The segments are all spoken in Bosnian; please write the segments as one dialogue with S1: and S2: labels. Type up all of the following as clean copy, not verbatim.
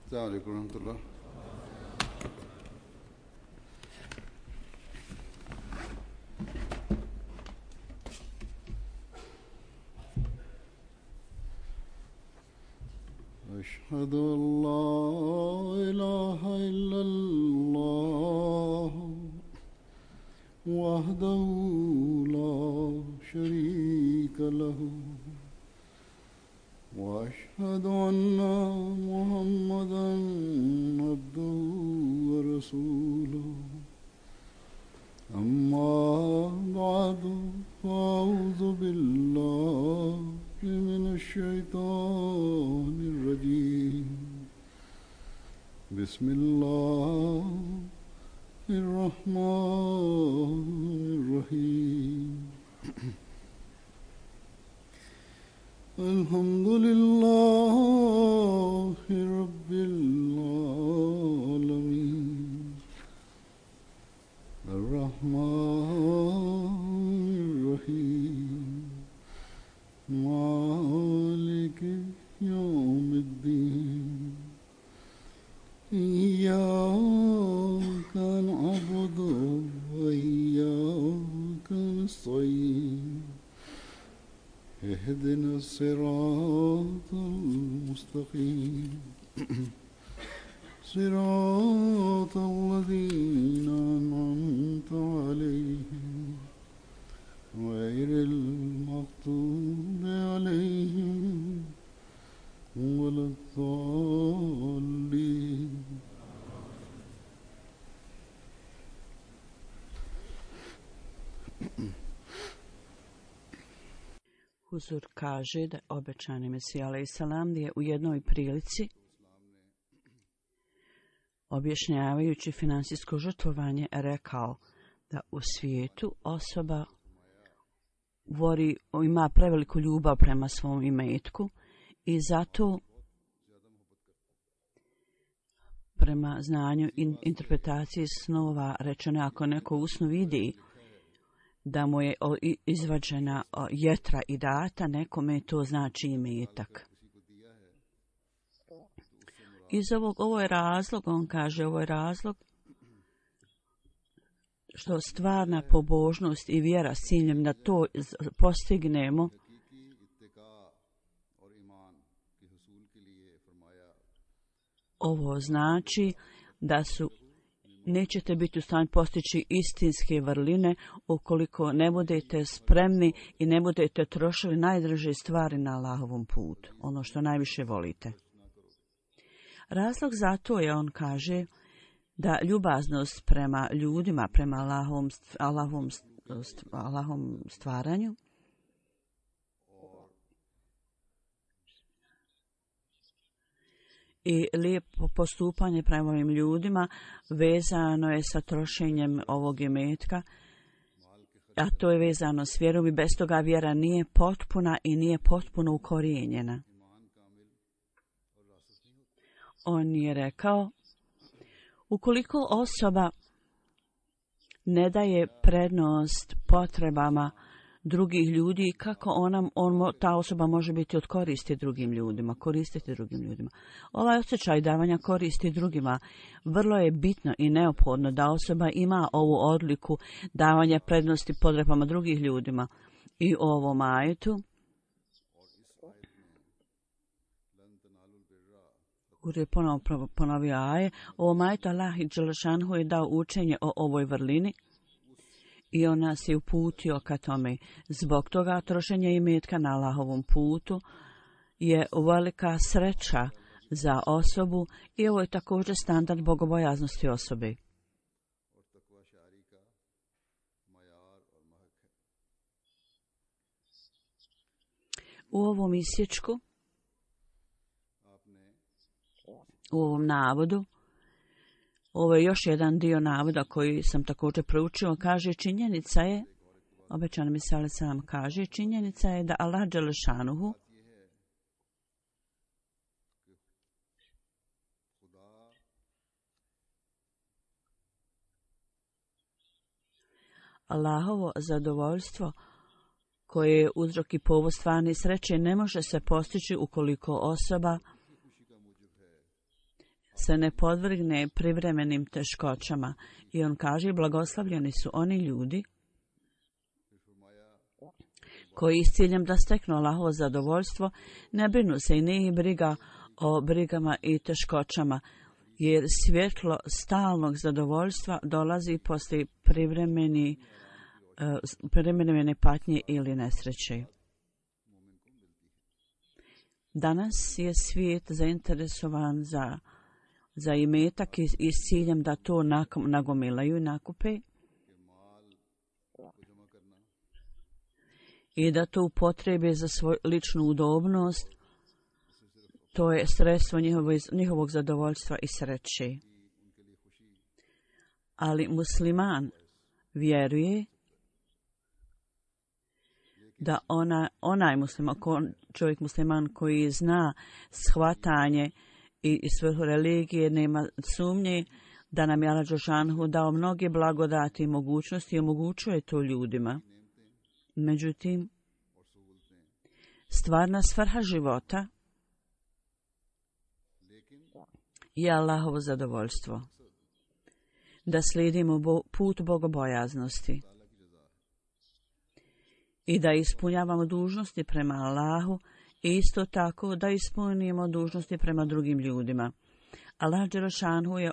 S1: السلام عليكم ورحمة الله. أشهد أن لا إله إلا الله وحده لا شريك له وأشهد أن محمدا عبده ورسوله أما بعد فأعوذ بالله من الشيطان الرجيم بسم الله الرحمن الرحيم الحمد لله رب العالمين الرحمن الرحيم مالك يوم الدين إياك نعبد وإياك نستعين اهدنا الصراط المستقيم صراط الذين أنعمت عليهم غير المغضوب عليهم ولا الضالين.
S2: Huzur kaže da obećani Mesija alejsalam je u jednoj prilici objašnjavajući finansijsko žrtvovanje rekao da u svijetu osoba ima preveliku ljubav prema svom imetku i zato prema znanju i interpretaciji snova rečeno ako neko u snu vidi da mu je izvađena jetra i data, nekome to znači imetak. Ovo je razlog, on kaže, ovo je razlog što stvarna pobožnost i vjera s ciljem da to postignemo ovo znači da nećete biti u stanju postići istinske vrline ukoliko ne budete spremni i ne budete trošili najdraže stvari na Allahovom putu, ono što najviše volite. Razlog za to je, on kaže, da ljubaznost prema ljudima, prema Allahovom stvaranju i lijepo postupanje prema ovim ljudima vezano je sa trošenjem ovog imetka, a to je vezano s vjerom i bez toga vjera nije potpuna i nije potpuno ukorijenjena. On je rekao, ukoliko osoba ne daje prednost potrebama drugih ljudi, kako ta osoba može biti od koristi drugim ljudima, koristiti drugim ljudima. Ovaj osjećaj davanja koristi drugima vrlo je bitno i neophodno da osoba ima ovu odliku davanja prednosti potrebama drugih ljudima. I u ovom ajetu je ponovio aje, u ovom ajetu Allah dželešanhu je dao učenje o ovoj vrlini i on nas je uputio ka tome. Zbog toga trošenje imetka na Allahovom putu je velika sreća za osobu i ovo je također standard bogobojaznosti osobe. U ovom isječku, u ovom navodu, ovo je još jedan dio navoda koji sam također proučio, kaže činjenica je, obećani Mesija alejsalam kaže, činjenica je da Allah dželešanuhu Allahovo zadovoljstvo koje je uzrok i povod stvarne sreće ne može se postići ukoliko osoba se ne podvrgne privremenim teškoćama. I on kaže, blagoslavljeni su oni ljudi koji s ciljem da steknu Allahovo zadovoljstvo ne brinu se i nije briga o brigama i teškoćama, jer svjetlo stalnog zadovoljstva dolazi poslije privremene patnje ili nesreće. Danas je svijet zainteresovan za imetak i s ciljem da to nagomilaju i nakupe i da to upotrebe za svoju ličnu udobnost. To je sredstvo njihovog zadovoljstva i sreće. Ali musliman vjeruje da onaj čovjek musliman koji zna shvatanje i svrhu religije, nema sumnje da nam je Allah dželešanohu dao mnoge blagodati i mogućnosti i omogućuje to ljudima. Međutim, stvarna svrha života je Allahovo zadovoljstvo. Da slijedimo put bogobojaznosti i da ispunjavamo dužnosti prema Allahu i isto tako da ispunimo dužnosti prema drugim ljudima. Allah dželešanohu je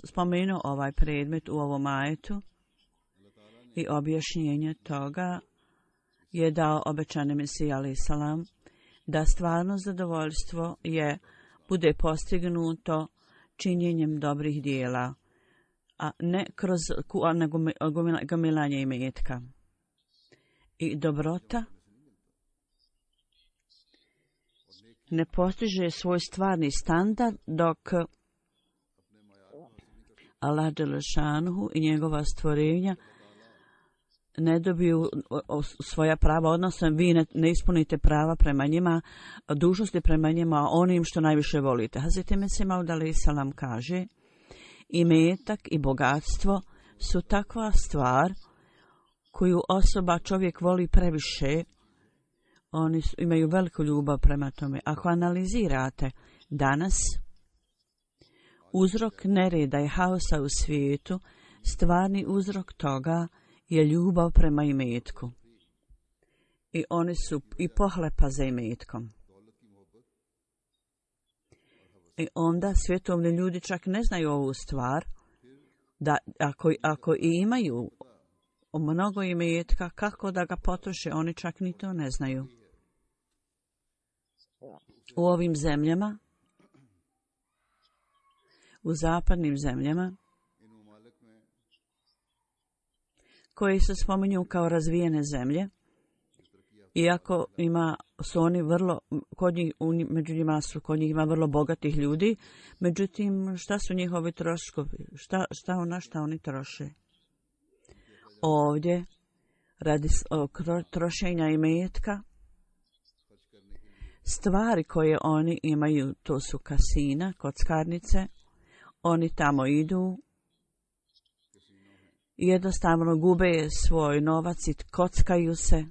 S2: spomenuo ovaj predmet u ovom ajetu i objašnjenje toga je dao obećani Mesija alejhi selam da stvarno zadovoljstvo bude postignuto činjenjem dobrih dijela, a ne kroz gomilanje imetka. I dobrota ne postiže svoj stvarni standard dok Allah dželešanohu i njegova stvorenja ne dobiju svoja prava, odnosno vi ne ispunite prava prema njima, dužnosti prema njima, onim što najviše volite. Hazreti Mesih Maud alejhi selam kaže, imetak i bogatstvo su takva stvar koju čovjek voli previše. Oni imaju veliku ljubav prema tome. Ako analizirate danas uzrok nereda i haosa u svijetu, stvarni uzrok toga je ljubav prema imetku. I oni su i pohlepa za imetkom. I onda svjetovni ljudi čak ne znaju ovu stvar, da ako i imaju mnogo imetka, kako da ga potroše, oni čak ni to ne znaju. U ovim zemljama, u zapadnim zemljama, koje se spominju kao razvijene zemlje, iako su oni vrlo, kod njih ima vrlo bogatih ljudi, međutim, šta su njihovi troškovi? Na šta oni troše? Ovdje, radi trošenja imetka, stvari koje oni imaju, to su kasina, kockarnice, oni tamo idu, jednostavno gube svoj novac i kockaju se.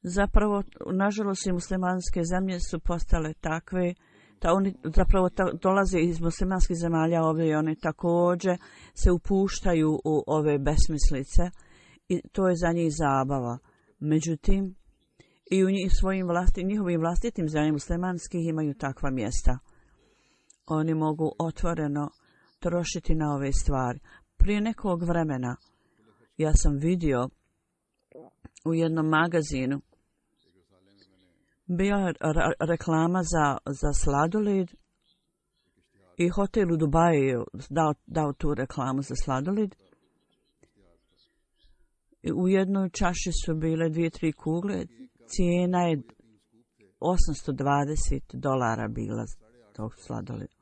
S2: Zapravo, nažalost, i muslimanske zemlje su postale takve, da oni zapravo dolaze iz muslimanskih zemalja ovdje i oni također se upuštaju u ove besmislice i to je za njih zabava. Međutim, i u njihovim vlastitim zemljama muslimanskih imaju takva mjesta. Oni mogu otvoreno trošiti na ove stvari. Prije nekog vremena ja sam vidio u jednom magazinu bila reklama za sladoled i hotel u Dubaju je dao tu reklamu za sladoled. U jednoj čaši su bile 2-3 kugle, cijena je $820 bila tog sladoleda.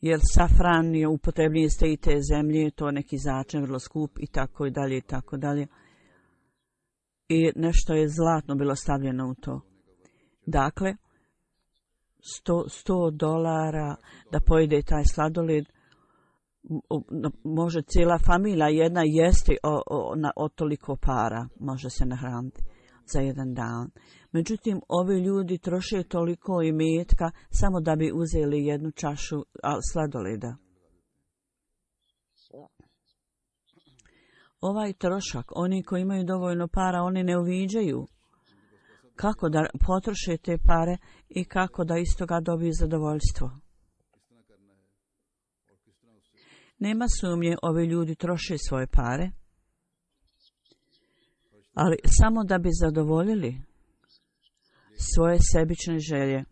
S2: Jer safran je upotrebljen iz te zemlje, to neki začin vrlo skup i tako dalje i tako dalje. I nešto je zlatno bilo stavljeno u to. Dakle, $100 da pojede taj sladoled, može cijela familija jedna jesti od toliko para, može se nahraniti. za jedan dan. Međutim, ovi ljudi troše toliko imetka samo da bi uzeli jednu čašu sladoleda. Ovaj trošak, oni koji imaju dovoljno para, oni ne uviđaju kako da potroše te pare i kako da iz toga dobiju zadovoljstvo. Nema sumnje, ovi ljudi troše svoje pare, ali samo da bi zadovoljili svoje sebične želje,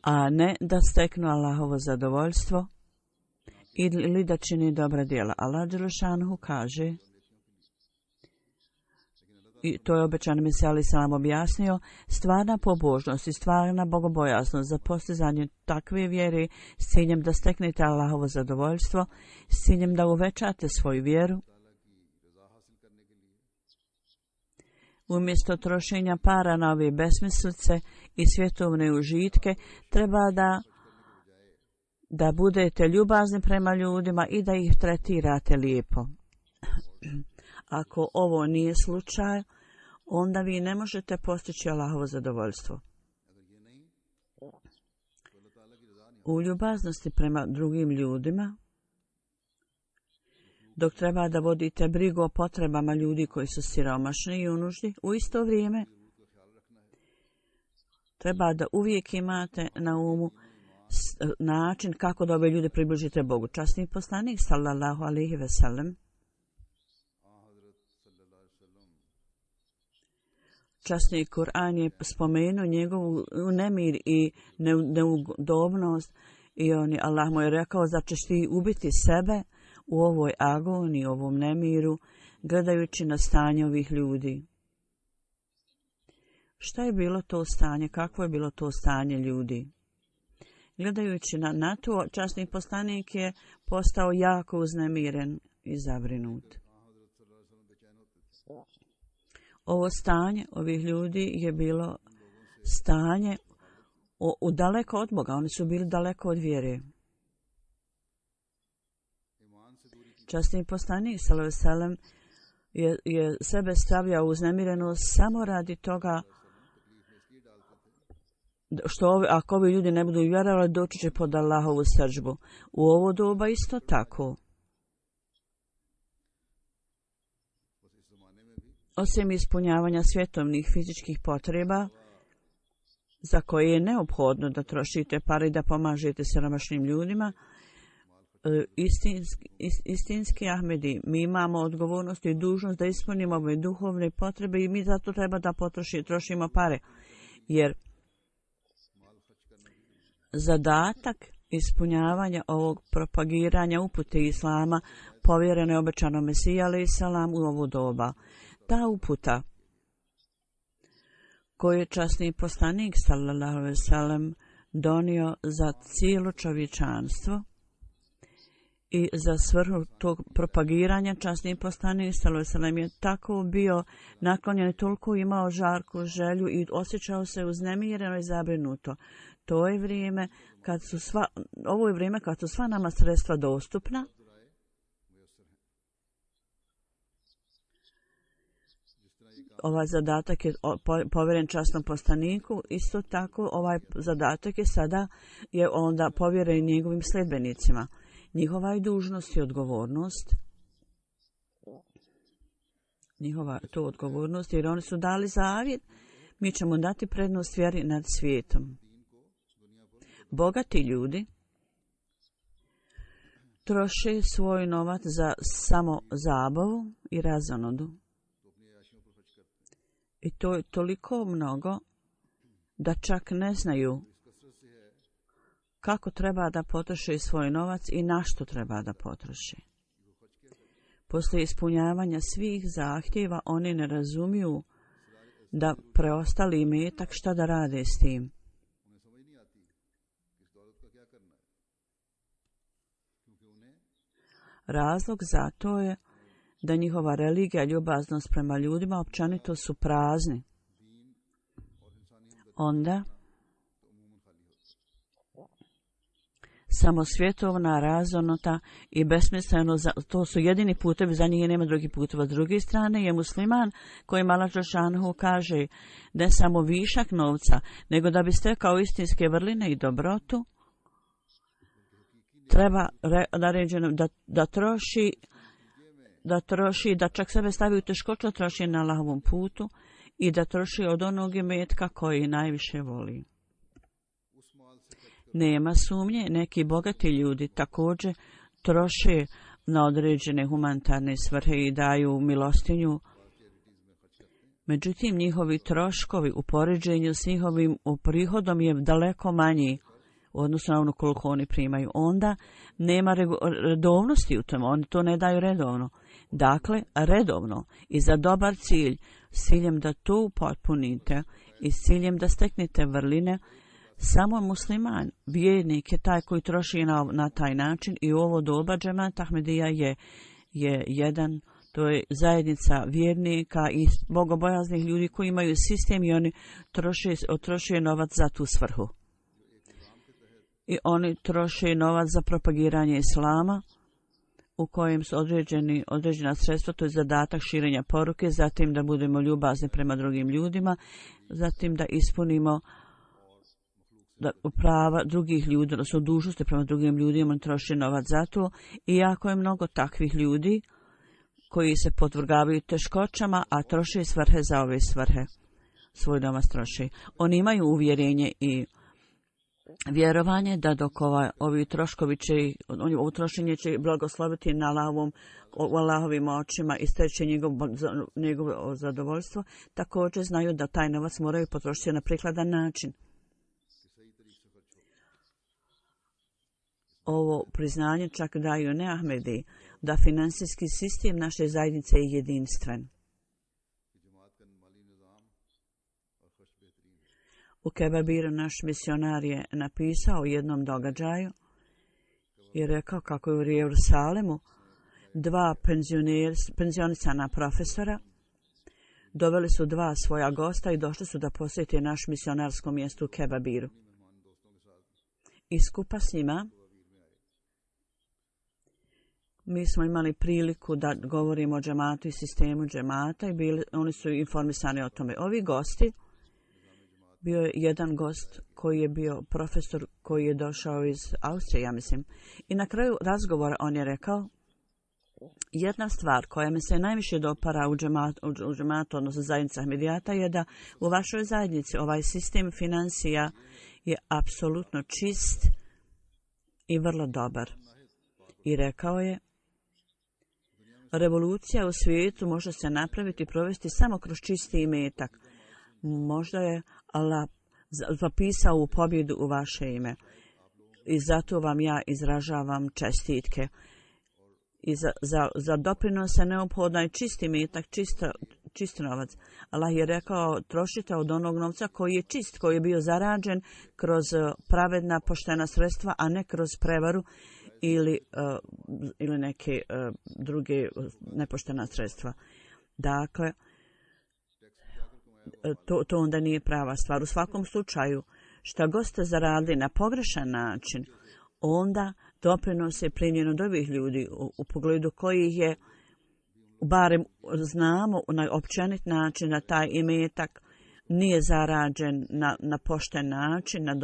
S2: a ne da steknu Allahovo zadovoljstvo ili da čini dobra djela. Allah dželešanu kaže, i to je obećani Mesija alejhi selam objasnio, stvarna pobožnost i stvarna bogobojaznost za postizanje takve vjere s ciljem da steknete Allahovo zadovoljstvo, s ciljem da uvećate svoju vjeru, umjesto trošenja para na ove besmislice i svjetovne užitke, treba da budete ljubazni prema ljudima i da ih tretirate lijepo. Ako ovo nije slučaj, onda vi ne možete postići Allahovo zadovoljstvo. U ljubaznosti prema drugim ljudima, dok treba da vodite brigu o potrebama ljudi koji su siromašni i u nuždi, u isto vrijeme treba da uvijek imate na umu način kako da ove ljude približite Bogu. Časni poslanik sallallahu alejhi ve sellem, časni Kur'an je spomenuo njegovu nemir i neudobnost i Allah mu je rekao, zar ćeš ti ubiti sebe u ovoj agoniji, ovom nemiru, gledajući na stanje ovih ljudi. Šta je bilo to stanje? Kakvo je bilo to stanje ljudi? Gledajući na to, časni poslanik je postao jako uznemiren i zabrinut. Ovo stanje ovih ljudi je bilo stanje daleko od Boga. Oni su bili daleko od vjere. Časni poslanik sallallahu alejhi ve sellem je sebe stavljao uznemirenost samo radi toga što ako ovi ljudi ne budu vjerovali, doći će pod Allahovu srdžbu. U ovo doba isto tako. Osim ispunjavanja svjetovnih fizičkih potreba, za koje je neophodno da trošite pare i da pomažete siromašnim ljudima, istinski Ahmedi, mi imamo odgovornost i dužnost da ispunimo ove duhovne potrebe i mi zato treba da trošimo pare. Jer zadatak ispunjavanja ovog propagiranja upute Islama povjereno je obećanom Mesiji alejhi selam u ovo doba. Ta uputa koju je časni poslanik sallallahu alejhi ve sellem donio za cijelo čovječanstvo i za svrhu tog propagiranja, časni poslanik sallallahu alejhi ve sellem je tako bio naklonjen i toliko imao žarku želju i osjećao se uznemireno i zabrinuto. To je vrijeme ovo je vrijeme kad su sva nama sredstva dostupna. Ovaj zadatak je povjeren časnom poslaniku, isto tako ovaj zadatak je sada onda povjeren njegovim sljedbenicima. Njihova je dužnost i odgovornost. Njihova to odgovornost, jer oni su dali zavjet, mi ćemo dati prednost vjeri nad svijetom. Bogati ljudi troše svoj novac za samo zabavu i razonodu. I to je toliko mnogo da čak ne znaju kako treba da potroše svoj novac i na što treba da potroše. Poslije ispunjavanja svih zahtjeva oni ne razumiju da preostali imetak šta da rade s tim. Razlog za to je da njihova religija, ljubaznost prema ljudima općenito su prazni. Onda sa samo svjetovna, razonota i besmisleno, to su jedini putevi, za njih nema drugih puteva. S druge strane je musliman koji Allah dželešanohu kaže ne samo višak novca, nego da bi stekao istinske vrline i dobrotu, treba naređeno da troši, da čak sebe stavi u teškoću, troši na Allahovom putu i da troši od onog imetka koji najviše voli. Nema sumnje, neki bogati ljudi također troše na određene humanitarne svrhe i daju milostinju. Međutim, njihovi troškovi u poređenju s njihovim prihodom je daleko manji odnosno na ono koliko oni primaju. Onda nema redovnosti u tome, oni to ne daju redovno. Dakle, redovno i za dobar cilj, s ciljem da to upotpunite i s ciljem da steknete vrline, samo musliman, vjernik je taj koji troši na taj način i u ovo doba džemat Ahmedija je jedan, to je zajednica vjernika i bogobojaznih ljudi koji imaju sistem i oni troše novac za tu svrhu. I oni troše novac za propagiranje islama u kojem su određena sredstva, to je zadatak širenja poruke, zatim da budemo ljubazni prema drugim ljudima, zatim da ispunimo prava drugih ljudi, odnosno dužnosti prema drugim ljudima, troše novac za to. I jako je mnogo takvih ljudi koji se podvrgavaju teškoćama, a troše svrhe za ove svrhe. Svoj novac troše. Oni imaju uvjerenje i vjerovanje da dok ovi troškovi će, ovo trošenje će blagosloviti na Allahovim očima i steći njegovo zadovoljstvo, također znaju da taj novac moraju potrošiti na prikladan način. Ovo priznanje čak daju ne Ahmedi, da finansijski sistem naše zajednice je jedinstven. U Kebabiru naš misionar je napisao o jednom događaju i rekao kako je u Jerusalemu dva penzionisana profesora doveli su dva svoja gosta i došli su da posjete naš misionarsko mjesto u Kebabiru. I skupa s njima mi smo imali priliku da govorimo o džematu i sistemu džemata i oni su informisani o tome. Ovi gosti, bio je jedan gost koji je bio profesor koji je došao iz Austrije, ja mislim. I na kraju razgovora on je rekao, jedna stvar koja mi se najviše dopara u džematu, odnosno zajednica Ahmedijata, je da u vašoj zajednici ovaj sistem financija je apsolutno čist i vrlo dobar. I rekao je, revolucija u svijetu može se napraviti i provesti samo kroz čisti imetak. Možda je Allah zapisao u pobjedu u vaše ime. I zato vam ja izražavam čestitke. I za doprinose neophodno je čisti imetak, čist novac. Allah je rekao, trošite od onog novca koji je čist, koji je bio zarađen kroz pravedna, poštena sredstva, a ne kroz prevaru ili neke druge nepoštena sredstva. Dakle, to onda nije prava stvar. U svakom slučaju, šta god ste zaradili na pogrešan način, onda doprinos je primljen od ovih ljudi u pogledu kojih je, barem znamo na općenit način da taj imetak nije zarađen na pošten način, na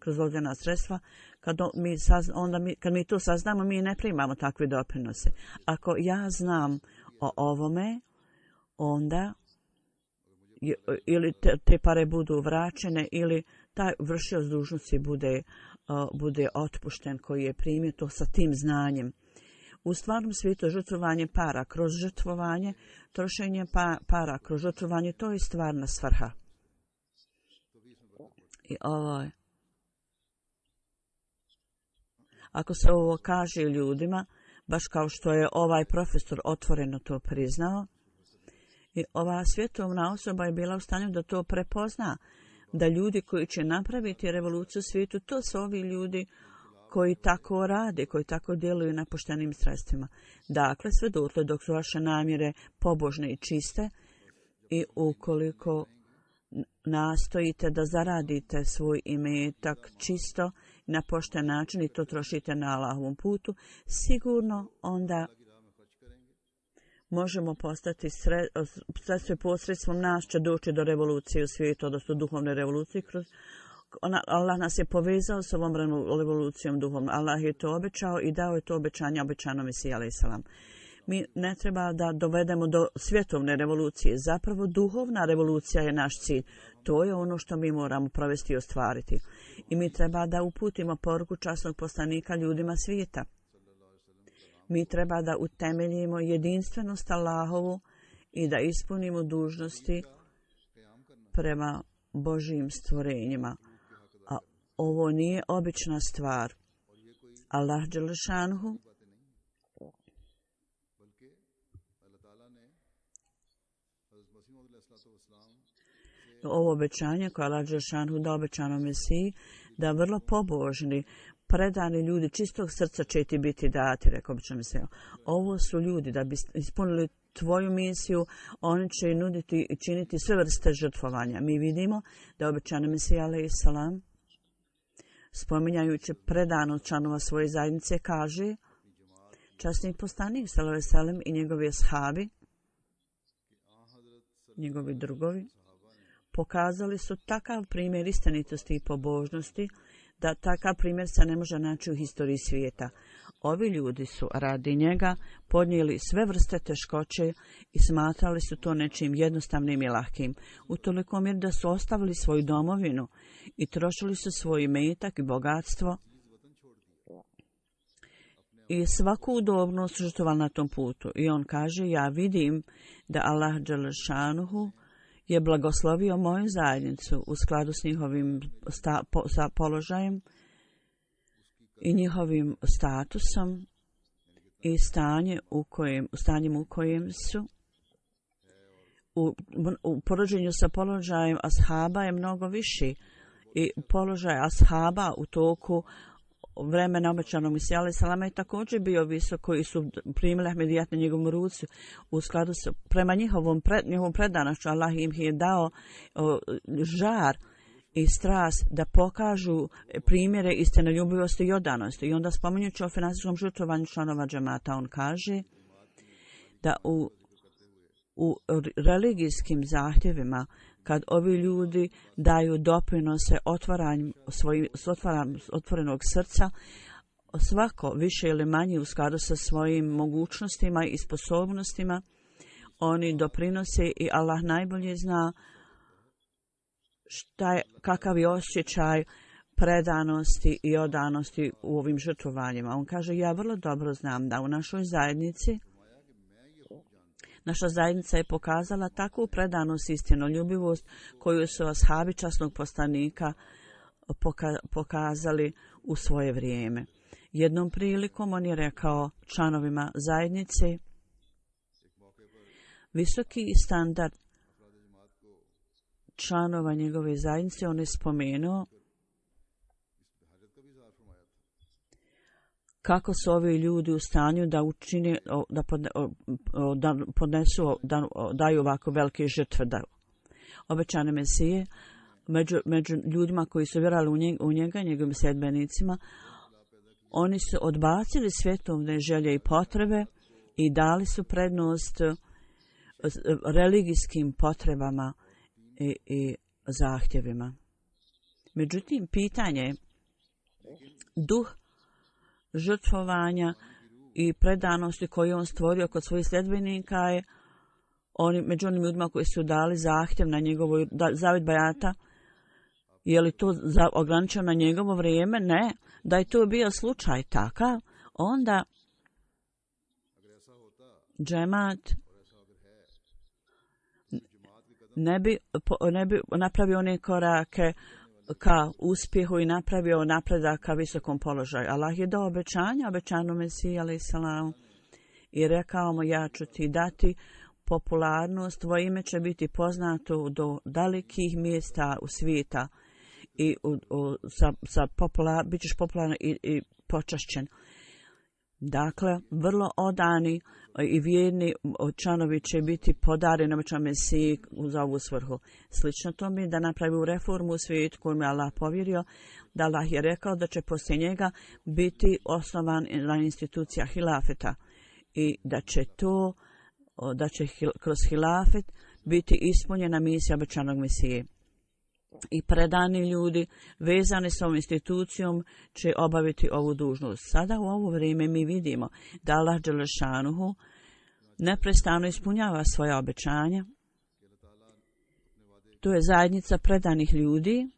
S2: dozvoljena sredstva. Kad mi to saznamo, mi ne primamo takve doprinose. Ako ja znam o ovome, onda ili te pare budu vraćene ili taj vršioc dužnosti bude otpušten koji je primio to sa tim znanjem. U stvarnom svijetu žrtvovanje para kroz žrtvovanje, trošenje para kroz žrtvovanje, to je stvarna svrha. I ovo je. Ako se ovo kaže ljudima, baš kao što je ovaj profesor otvoreno to priznao, i ova svjetovna osoba je bila u stanju da to prepozna, da ljudi koji će napraviti revoluciju u svijetu, to su ovi ljudi koji tako rade, koji tako djeluju na poštenim sredstvima. Dakle, sve dotle dok su vaše namjere pobožne i čiste i ukoliko nastojite da zaradite svoj imetak čisto na pošten način i to trošite na Allahovom putu, sigurno onda možemo postati sredstvo posredstvom nas će doći do revolucije u svijetu, odnosno duhovne revolucije. Allah nas je povezao s ovom revolucijom duhovnom. Allah je to obećao i dao je to obećanje obećano Mesiji a.s. Mi ne treba da dovedemo do svjetovne revolucije. Zapravo duhovna revolucija je naš cilj. To je ono što mi moramo provesti i ostvariti. I mi treba da uputimo poruku časnog poslanika ljudima svijeta. Mi treba da utemeljimo jedinstvenost Allahovu i da ispunimo dužnosti prema Božjim stvorenjima. A ovo nije obična stvar. Allah dželešanuhu ovo obećanje koje Allah dželešanuhu da obećano Mesiji, da vrlo pobožni, predani ljudi čistog srca će ti biti dati, rekao obično Mesija. Ovo su ljudi da bi ispunili tvoju misiju, oni će nuditi i činiti sve vrste žrtvovanja. Mi vidimo da obećano Mesija a.s. spominjajući predanost članova svoje zajednice kaže časni poslanik s.a.v. i njegovi ashabi, njegovi drugovi, pokazali su takav primjer istinitosti i pobožnosti da takav primjer se ne može naći u historiji svijeta. Ovi ljudi su radi njega podnijeli sve vrste teškoće i smatrali su to nečim jednostavnim i lahkim. U toliko mjeri da su ostavili svoju domovinu i trošili su svoj imetak i bogatstvo i svaku udobnost žrtvovali na tom putu. I on kaže, ja vidim da Allah dželešanuhu je blagoslovio moju zajednicu u skladu s njihovim položajem i njihovim statusom i stanjem u kojem su. U poređenju sa položajem ashaba je mnogo viši i položaj ashaba u toku vremena obećanog Mesija a.s. je također bio visok, koji su primili Ahmedijat na njegovom ruci u skladu s prema njihovom predanošću. Allah im je dao žar i strast da pokažu primjere istinoljubivosti i odanosti. I onda spominjući o finansijskom žrtvovanju članova džemata, on kaže da u religijskim zahtjevima, kad ovi ljudi daju doprinose otvorenog srca, svako više ili manje u skladu sa svojim mogućnostima i sposobnostima, oni doprinose i Allah najbolje zna kakav je osjećaj predanosti i odanosti u ovim žrtvovanjima. On kaže, ja vrlo dobro znam da u našoj zajednici naša zajednica je pokazala takvu predanost i istinoljubivost koju su ashabi časnog poslanika pokazali u svoje vrijeme. Jednom prilikom on je rekao članovima zajednice, visoki standard članova njegove zajednice, on je spomenuo kako su ovi ljudi u stanju da učine, da podnesu, da daju ovako velike žrtve. Obećane Mesije, među ljudima koji su vjerovali u njega, njegovim sedbenicima, oni su odbacili svjetovne želje i potrebe i dali su prednost religijskim potrebama i zahtjevima. Međutim, pitanje duh žrtvovanja i predanosti koju on stvorio kod svojih sljedbenika je među onim ljudima koji su dali zahtjev na njegovu zavjet bajata. Je li to ograničeno na njegovo vrijeme? Ne. Da je to bio slučaj takav, onda džemat ne bi napravio one korake ka uspjehu i napravio napredak ka visokom položaju. Allah je dao obećano Mesiji a.s. i rekao mu, ja ću ti dati popularnost, tvoje ime će biti poznato do dalekih mjesta u svijeta i bit ćeš popularan i počašćen. Dakle, vrlo odani i vjerni članovi će biti podareni obećanom Mesiji za ovu svrhu. Slično tome da napravi reformu u svijetu kojom je Allah povjerio, da Allah je rekao da će poslije njega biti osnovana institucija hilafeta i da će kroz hilafet biti ispunjena misija obećanog Mesije. I predani ljudi vezani s ovom institucijom će obaviti ovu dužnost. Sada u ovo vrijeme mi vidimo da Allah dželešanuhu neprestano ispunjava svoja obećanja. To je zajednica predanih ljudi,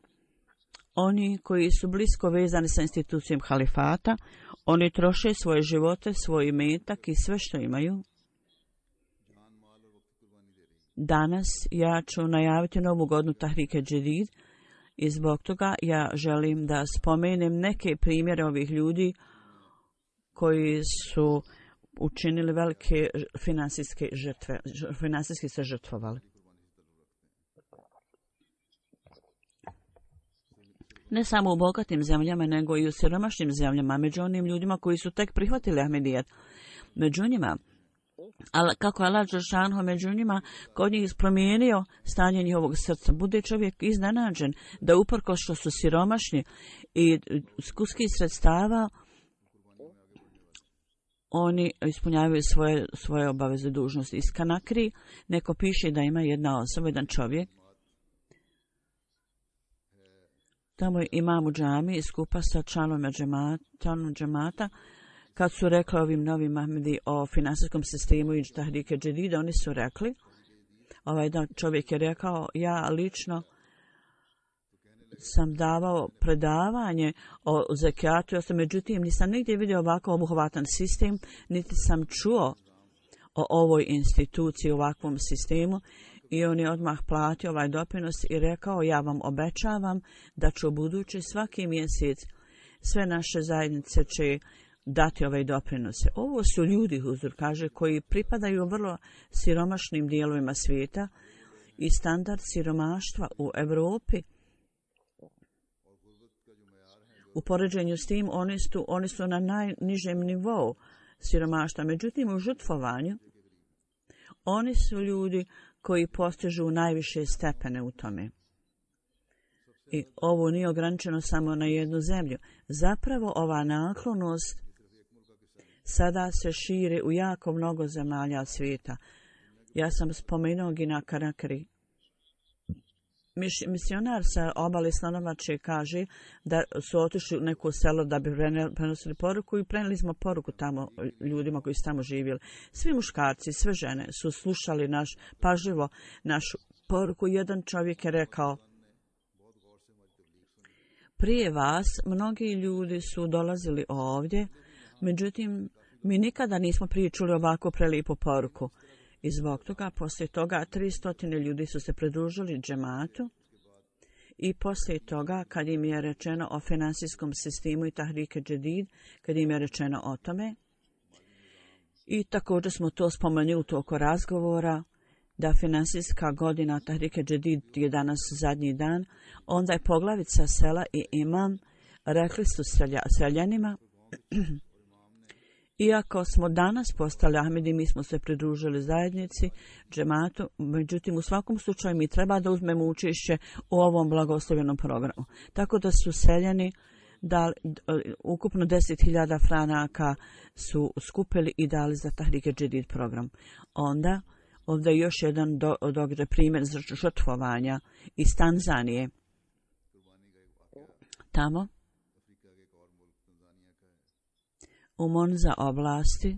S2: oni koji su blisko vezani sa institucijom halifata, oni troše svoje živote, svoj imetak i sve što imaju. Danas ja ću najaviti novu godinu Tahrike Džedid i zbog toga ja želim da spomenem neke primjere ovih ljudi koji su učinili velike finansijske žrtve, finansijski se žrtvovali. Ne samo u bogatim zemljama, nego i u siromašnim zemljama, među onim ljudima koji su tek prihvatili Ahmedijet. Među njima, kako je Allah dželešanu među njima kod njih promijenio stanje njihovog srca. Bude čovjek iznenađen da uprkos što su siromašni i skuski sredstava, oni ispunjavaju svoje obaveze dužnosti. Iz Kanakri neko piše da ima jedna osoba, jedan čovjek. Tamo je imam u džami skupa sa članom džemata. Kad su rekli ovim novim Ahmedi o finansijskom sistemu i Tahrike Džedida, oni su rekli, ovaj čovjek je rekao, ja lično sam davao predavanje o zekijatu, međutim nisam nigdje vidio ovako obuhvatan sistem, niti sam čuo o ovoj instituciji, ovakvom sistemu, i on je odmah platio ovaj doprinos i rekao, ja vam obećavam da ću u budući svaki mjesec sve naše zajednice će dati ove doprinose. Ovo su ljudi, Huzur kaže, koji pripadaju vrlo siromašnim dijelovima svijeta i standard siromaštva u Europi. U poređenju s tim oni su na najnižem nivou siromaštva. Međutim, u žrtvovanju oni su ljudi koji postižu najviše stepene u tome. I ovo nije ograničeno samo na jednu zemlju. Zapravo ova naklonost sada se širi u jako mnogo zemalja svijeta. Ja sam spomenuo Gina Karakari. Misionar sa obale Slanovače kaže da su otišli u neko selo da bi prenosili poruku i prenijeli smo poruku tamo ljudima koji su tamo živjeli. Svi muškarci, sve žene su slušali pažljivo našu poruku. Jedan čovjek je rekao, prije vas mnogi ljudi su dolazili ovdje, međutim mi nikada nismo prije čuli ovako prelijepu poruku. I zbog toga, poslije toga, 300 ljudi su se pridružili džematu i poslije toga, kad im je rečeno o finansijskom sistemu i Tahrike Džedid, kad im je rečeno o tome, i također smo to spomenuli u toku razgovora, da finansijska godina Tahrike Džedid je danas zadnji dan, onda je poglavica sela i imam rekli su seljanima, iako smo danas postali Ahmedi, mi smo se pridružili zajednici, džematu, međutim u svakom slučaju mi treba da uzmemo učešće u ovom blagoslovljenom programu. Tako da su seljani dali, ukupno 10.000 franaka su skupili i dali za Tahrike Džedid program. Onda, ovdje je još jedan događaj, primjer žrtvovanja iz Tanzanije. Tamo, u Monza oblasti,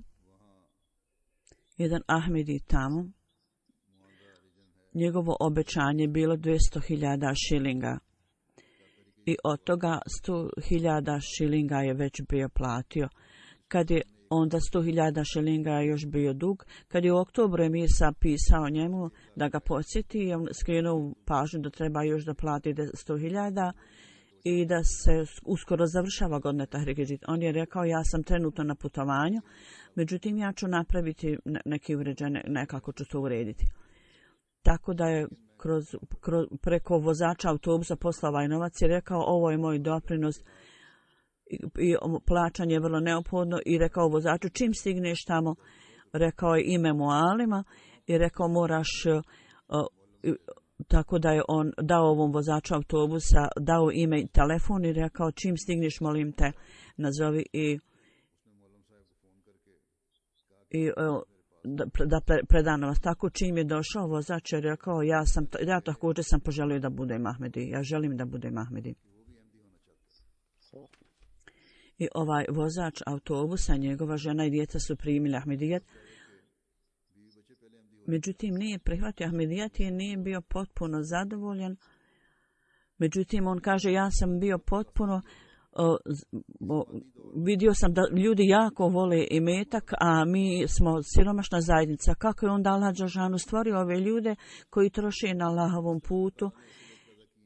S2: jedan Ahmedi tamo, njegovo obećanje bilo 200.000 šilinga. I od toga 100.000 šilinga je već bio platio. Kad je onda 100.000 šilinga je još bio dug. Kad je u oktobru Emirsa pisao njemu da ga podsjeti, on skrenuo pažnju da treba još da plati 100.000 i da se uskoro završava godina Tahrike Džedid. On je rekao, ja sam trenutno na putovanju, međutim ja ću napraviti neki uređaj, nekako ću to urediti. Tako da je preko vozača autobusa poslao ovaj novac i rekao, ovo je moj doprinos i plaćanje je vrlo neophodno i rekao vozaču čim stigneš tamo, rekao je ime Mualima i rekao moraš, tako da je on dao ovom vozaču autobusa, dao ime i telefon i rekao čim stigneš molim te nazovi i da predano vas. Tako čim je došao vozač je rekao ja također sam poželio da budem Ahmedi, ja želim da budem Ahmedi. I ovaj vozač autobusa, njegova žena i djeca su primili Ahmedijet. Međutim, nije prihvatio Ahmedijet i nije bio potpuno zadovoljan. Međutim, on kaže ja sam bio potpuno vidio sam da ljudi jako vole imetak, a mi smo siromašna zajednica. Kako je onda Allah dželešanu stvorio ove ljude koji troše na Allahovom putu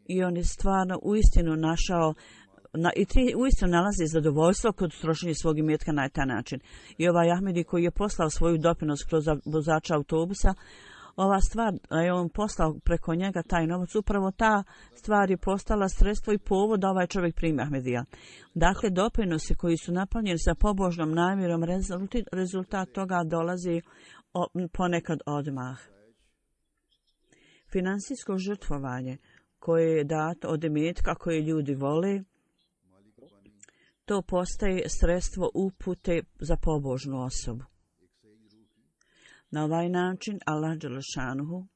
S2: i on je stvarno uistinu našao i ti uistinu nalazi zadovoljstvo kod trošenja svog imetka na taj način. I ovaj Ahmedi koji je poslao svoju doprinos kroz vozača autobusa, ova stvar je on poslao preko njega taj novac, upravo ta stvar je postala sredstvo i povod da ovaj čovjek primi Ahmedija. Dakle, doprinosi koji su napunjeni sa pobožnom namjerom, rezultat toga dolazi ponekad odmah. Finansijsko žrtvovanje koje je dato od imetka koje ljudi vole, to postaje sredstvo upute za pobožnu osobu. Na ovaj način Allah dželešanuhu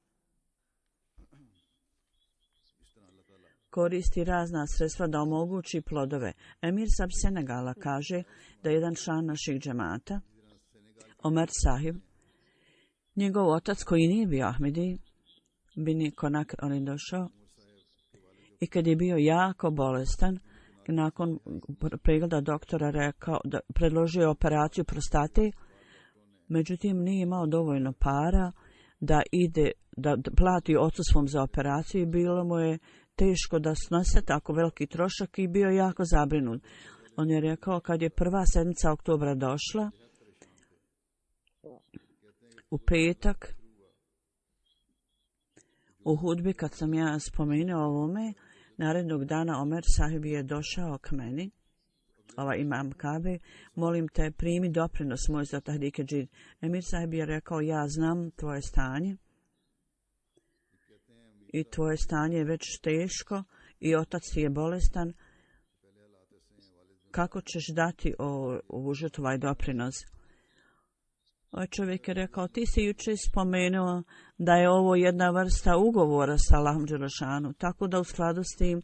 S2: koristi razna sredstva da omogući plodove. Emir Sab Senegala kaže da jedan član naših džemata, Omer Sahib, njegov otac koji nije bio Ahmedi, Bini Konak, on je došao i kad je bio jako bolestan, nakon pregleda doktora rekao da predložio operaciju prostate, međutim nije imao dovoljno para da ide da plati ocu svom za operaciju i bilo mu je teško da snose tako veliki trošak i bio jako zabrinut. On je rekao kad je prva sedmica oktobra došla u petak u hudbi kad sam ja spomenuo ovome, narednog dana Omer Sahib je došao k meni, imam Kabe, molim te primi doprinos moj za Tahrike Džid. Emir Sahib je rekao ja znam tvoje stanje i tvoje stanje je već teško i otac ti je bolestan. Kako ćeš dati ovu žrtvu, ovaj doprinos? Ovaj čovjek je rekao ti si jučer spomenuo da je ovo jedna vrsta ugovora sa Allahom dželešanu, tako da u skladu s tim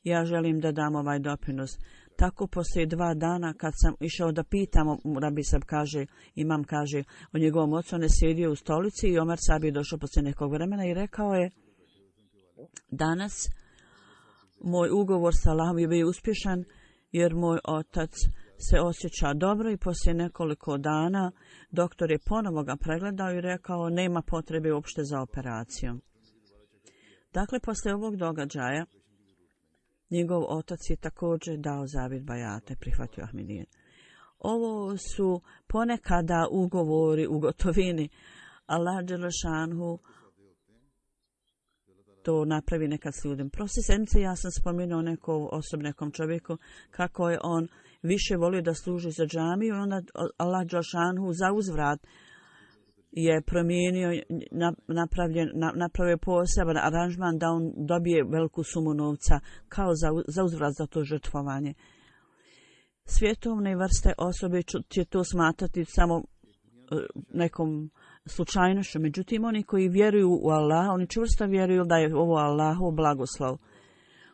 S2: ja želim da dam ovaj doprinos. Tako poslije 2 dana kad sam išao da pitam, Rabi Sab kaže, imam kaže, o njegovom ocu, on je sjedio u stolici i Omer Sab je došao poslije nekog vremena i rekao je danas moj ugovor sa Allahom je bio uspješan jer moj otac se osjeća dobro i poslije nekoliko dana doktor je ponovo ga pregledao i rekao nema potrebe uopšte za operacijom. Dakle, poslije ovog događaja njegov otac je također dao zavjet bajata i prihvatio Ahmedijet. Ovo su ponekada ugovori u gotovini. Allah dželešanhu to napravi nekad s ljudem. Prošle sedmice ja sam spomenuo nekom čovjeku kako je on više volio da služi za džamiju i onda Allah dželešanhu za uzvrat je promijenio, napravio poseban aranžman da on dobije veliku sumu novca kao za uzvrat za to žrtvovanje. Svjetovne vrste osobe će to smatrati samo nekom slučajnošću. Međutim, oni koji vjeruju u Allah, oni čvrsto vjeruju da je ovo Allahov blagoslov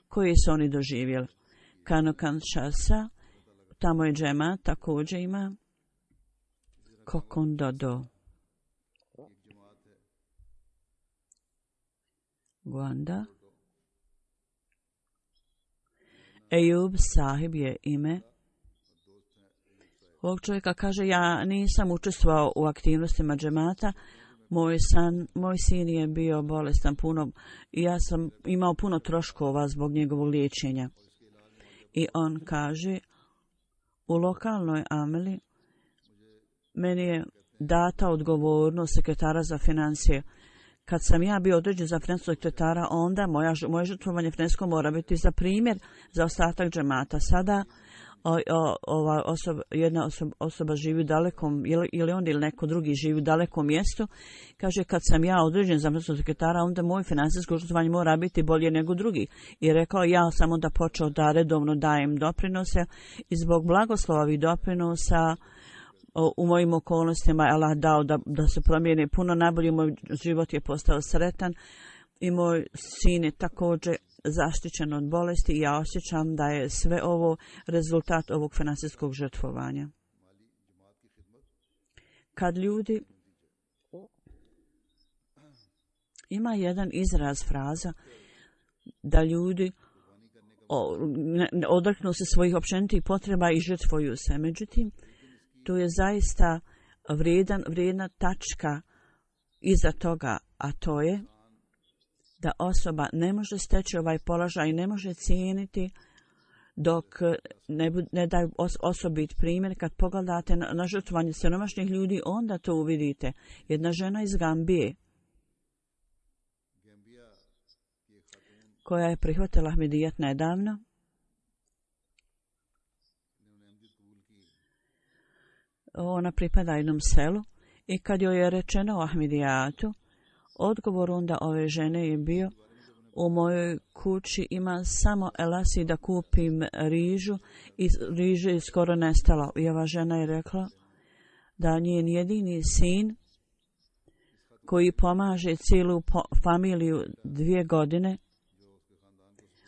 S2: koji su oni doživjeli. Kanokan Šasa, tamo je džema, također ima Kokondodo. Guanda. Ejub Sahib je ime. Ovog čovjeka kaže ja nisam učestvovao u aktivnostima džemata. Moj sin je bio bolestan puno i ja sam imao puno troškova zbog njegovog liječenja. I on kaže u lokalnoj ameli meni je data odgovornost sekretara za financije. kad sam ja bio određen za financijskog sekretara, onda moje žrtvovanje financijsko mora biti za primjer za ostatak džemata. Sada jedna osoba živi u dalekom, ili on ili neko drugi živi u dalekom mjestu, kaže kad sam ja određen za financijskog sekretara, onda moje financijsko žrtvovanje mora biti bolje nego drugi. I rekao, ja sam onda počeo da redovno dajem doprinose i zbog blagoslova ovih doprinosa u mojim okolnostima Allah dao da se promijene puno najbolje, moj život je postao sretan i moj sin je također zaštićen od bolesti i ja osjećam da je sve ovo rezultat ovog financijskog žrtvovanja. Kad ljudi ima jedan izraz, fraza da ljudi odreknu se svojih općenitih potreba i žrtvuju se. Međutim, to je zaista vrijedna tačka iza toga, a to je da osoba ne može steći ovaj položaj i ne može cijeniti dok ne daju osobit primjer. Kad pogledate na žrtvovanje siromašnih ljudi, onda to uvidite. Jedna žena iz Gambije koja je prihvatila Ahmedijet nedavno, ona pripada jednom selu i kad joj je rečeno o Ahmedijatu, odgovor onda ove žene je bio: u mojoj kući ima samo elasi da kupim rižu i riže je skoro nestalo. I ova žena je rekla da njen jedini sin koji pomaže cijelu familiju 2 godine,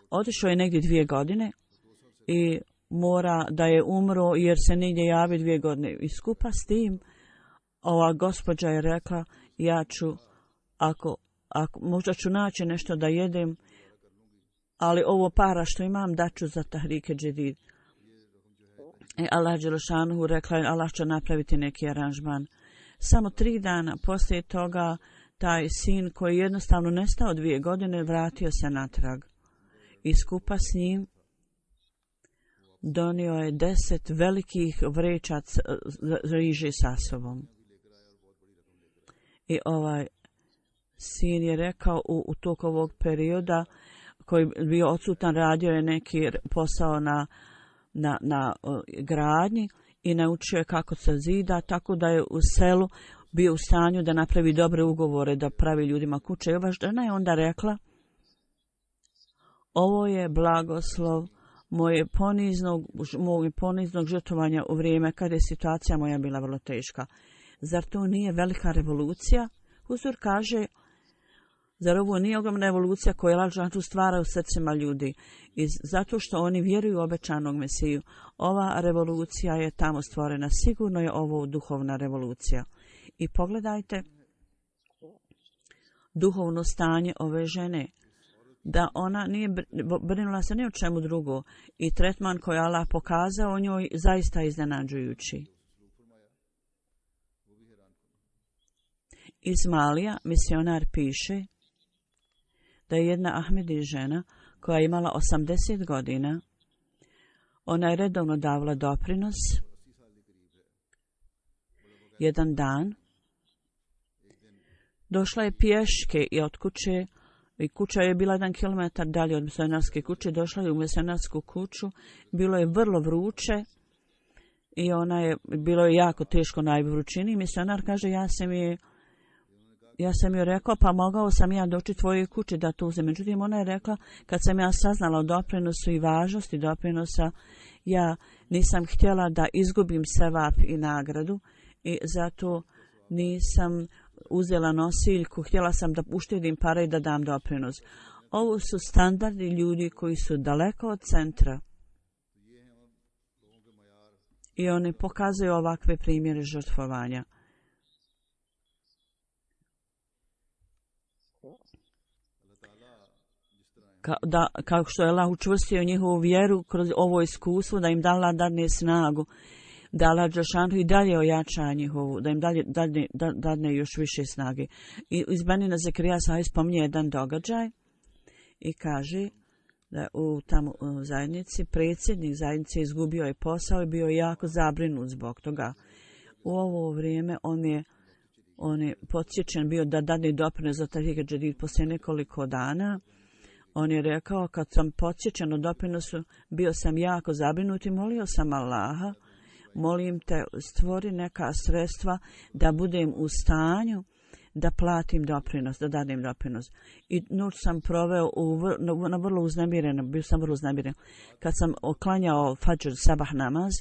S2: otišao je negdje 2 godine i mora da je umro jer se nigdje javi 2 godine. I skupa s tim ova gospođa je rekla, ja ću, ako možda ću naći nešto da jedem, ali ovo para što imam daću za Tahrike Džedid. I Allah Đelešanuhu rekla je, Allah će napraviti neki aranžman. Samo 3 dana poslije toga taj sin koji je jednostavno nestao 2 godine vratio se natrag. I skupa s njim donio je 10 velikih vreća riže sa sobom. I ovaj sin je rekao u toku ovog perioda koji je bio odsutan, radio je neki posao na gradnji i naučio je kako se zida, tako da je u selu bio u stanju da napravi dobre ugovore, da pravi ljudima kuće. I ova žena je onda rekla, ovo je blagoslov moje poniznog žrtvovanja u vrijeme kada je situacija moja bila vrlo teška. Zar to nije velika revolucija? Huzur kaže, zar ovo nije ogromna revolucija koju Allah dželešanu stvara u srcima ljudi? I zato što oni vjeruju u obećanog Mesiju. Ova revolucija je tamo stvorena. Sigurno je ovo duhovna revolucija. I pogledajte duhovno stanje ove žene. Da ona nije brinula se ni o čemu drugo. I tretman koji Allah pokazao o njoj zaista iznenađujući. Ismailija, misionar, piše da je jedna Ahmedi žena koja je imala 80 godina, ona je redovno davala doprinos. Jedan dan došla je pješke i od kuće, i kuća je bila 1 kilometar dalje od misionarske kuće, došla je u misionarsku kuću, bilo je vrlo vruće i bilo je jako teško na vrućini. Misionar kaže, ja sam joj rekao, pa mogao sam ja doći tvojoj kući da to uzem. Međutim, ona je rekla, kad sam ja saznala o doprinosu i važnosti doprinosa, ja nisam htjela da izgubim sevap i nagradu i zato nisam uzela nosiljku, htjela sam da uštedim pare i da dam doprinos. Ovo su standardi ljudi koji su daleko od centra. I oni pokazuju ovakve primjere žrtvovanja. Kao što je Allah učvrstio njihovu vjeru kroz ovo iskustvo, da im dala dadne snagu, da Allah Đelešanu i dalje ojača njihovu, da im dadne još više snage. I iz Benina Zekrija Sahih spominje jedan događaj i kaže da u tamo zajednici, predsjednik zajednice izgubio je posao i bio je jako zabrinut zbog toga. U ovo vrijeme On je podsjećen bio da dadne doprinos za Tahrik Džedid poslije nekoliko dana. On je rekao, kad sam podsjećen o doprinosu, bio sam jako zabrinut i molio sam Allaha, molim te, stvori neka sredstva da budem u stanju da platim doprinos, da dadim doprinos. I noć sam proveo na vrlo uznemireno, bio sam vrlo uznemiren. Kad sam oklanjao Fadžr sabah namaz,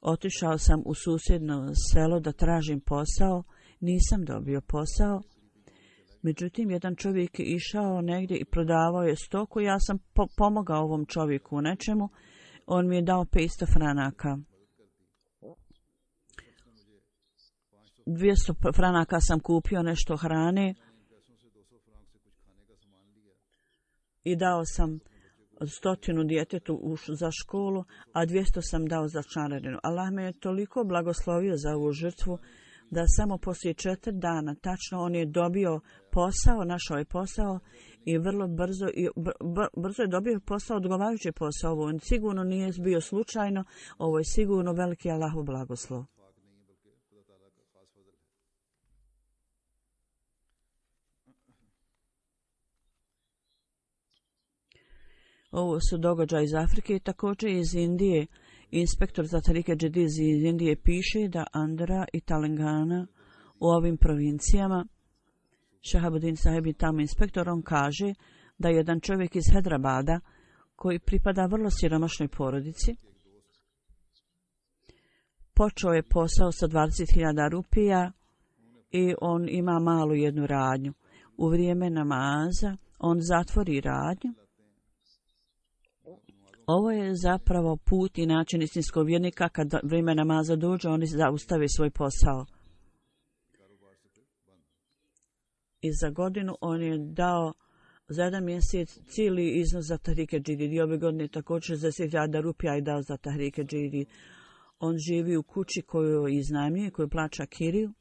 S2: otišao sam u susjedno selo da tražim posao, nisam dobio posao. Međutim, jedan čovjek je išao negdje i prodavao je stoku, ja sam pomogao ovom čovjeku u nečemu, on mi je dao 500 franaka. 200 franaka sam kupio nešto hrane i dao sam 100 djetetu za školu, a 200 sam dao za članarinu. Allah me je toliko blagoslovio za ovu žrtvu da samo poslije 4 dana tačno on je dobio posao, našao je posao i vrlo brzo je dobio posao, odgovarajući posao. Ovo sigurno nije bio slučajno, ovo je sigurno veliki Allahov blagoslov. Ovo su događaji iz Afrike i također iz Indije. Inspektor za Tahrik Džedid iz Indije piše da Andhra i Telangana u ovim provincijama, Shahabuddin Saheb je tamo inspektor, on kaže da jedan čovjek iz Hyderabada koji pripada vrlo siromašnoj porodici počeo je posao sa 20.000 rupija i on ima malu jednu radnju. U vrijeme namaza on zatvori radnju. Ovo je zapravo put i način istinskog vjernika. Kad vrijeme namaza dođe, oni zaustave svoj posao. I za godinu on je dao za 1 mjesec cijeli iznos za Tahrik Džedid. I ove godine također 60.000 rupija je dao za Tahrik Džedid. On živi u kući koju iznajmljuje, koju plaća kiriju.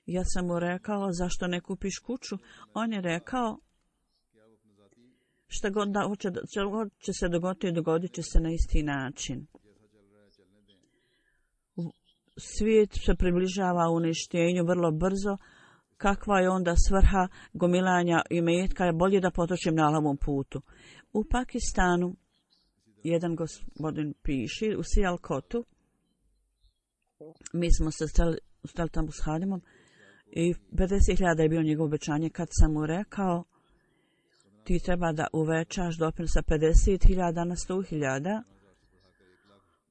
S2: Ja sam mu rekao, zašto ne kupiš kuću? On je rekao, šta god će se dogoditi, dogodit će se na isti način. Svijet se približava uništenju vrlo brzo. Kakva je onda svrha gomilanja imetka? Je bolje da potrošim na Allahovom putu. U Pakistanu jedan gospodin piše u Sialkotu. Mi smo se stali tamo s Hadimom i 50.000 je bio njegovo obećanje. Kad sam mu rekao, ti treba da uvećaš doprinos sa 50.000 na 100.000.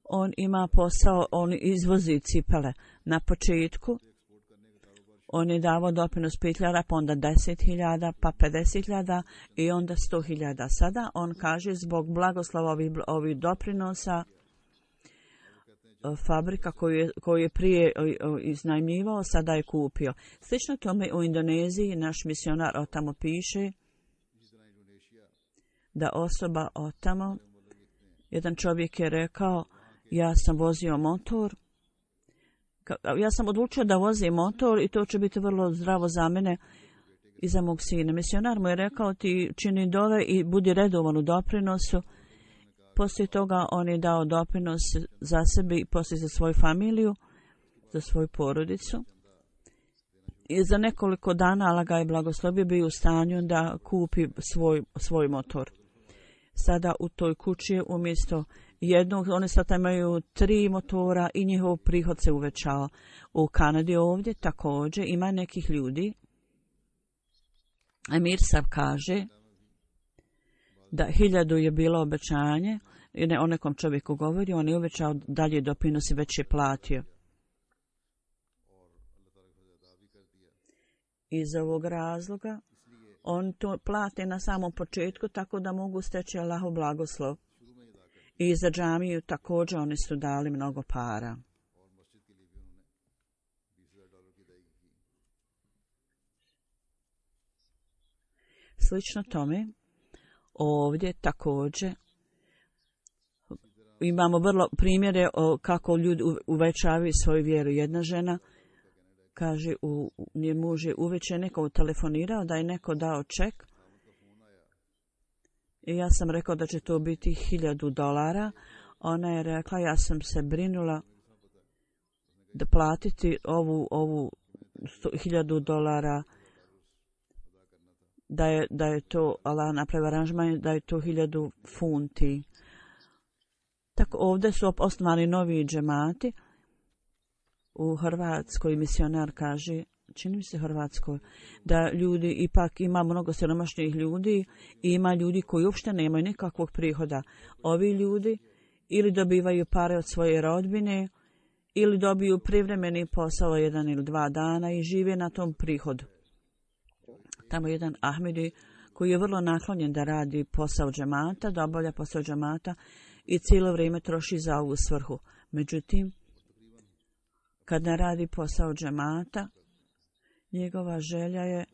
S2: On ima posao, on izvozi cipele. Na početku on je davao doprinos 5.000, pa onda 10.000, pa 50.000 i onda 100.000. Sada on kaže zbog blagoslova ovih doprinosa fabrika koju je prije iznajmljivao, sada je kupio. Slično tome u Indoneziji naš misionar od tamo piše da osoba od tamo, jedan čovjek je rekao, ja sam vozio motor, ja sam odlučio da vozim motor i to će biti vrlo zdravo za mene i za mog sina. Misionar mu je rekao, ti čini dove i budi redovan u doprinosu. Poslije toga on je dao doprinos za sebe i poslije za svoju familiju, za svoju porodicu. I za nekoliko dana Allah ga je blagoslovio, bio u stanju da kupi svoj motor. Sada u toj kući je umjesto jednog, oni sada imaju 3 motora i njihov prihod se uvećao. U Kanadi ovdje također ima nekih ljudi. Emir Sab kaže da 1000 je bilo obećanje i ne o nekom čovjeku govori, on je uvećao dalje doprinos i već je platio. Iz ovog razloga on to plate na samom početku tako da mogu steći Allahov blagoslov. I za džamiju također oni su dali mnogo para. Slično tome, ovdje također imamo vrlo primjere kako ljudi uvećavaju svoju vjeru. Jedna žena kaže, nje muž je uveče neko telefonirao da je neko dao ček. I ja sam rekao da će to biti $1000. Ona je rekla, ja sam se brinula da platiti ovu $1,000, da je to Allah napravio aranžman, da je to 1000 funti. Tako ovdje su osnovani novi džemati. U Hrvatskoj misionar kaže, čini mi se Hrvatskoj, da ljudi, ipak ima mnogo siromašnih ljudi i ima ljudi koji uopšte nemaju nikakvog prihoda. Ovi ljudi ili dobivaju pare od svoje rodbine ili dobiju privremeni posao 1 ili 2 dana i žive na tom prihodu. Tamo jedan Ahmedi koji je vrlo naklonjen da radi posao džemata, da obavlja posao džemata i cijelo vrijeme troši za ovu svrhu. Međutim, kad ne radi posao džemata, njegova želja je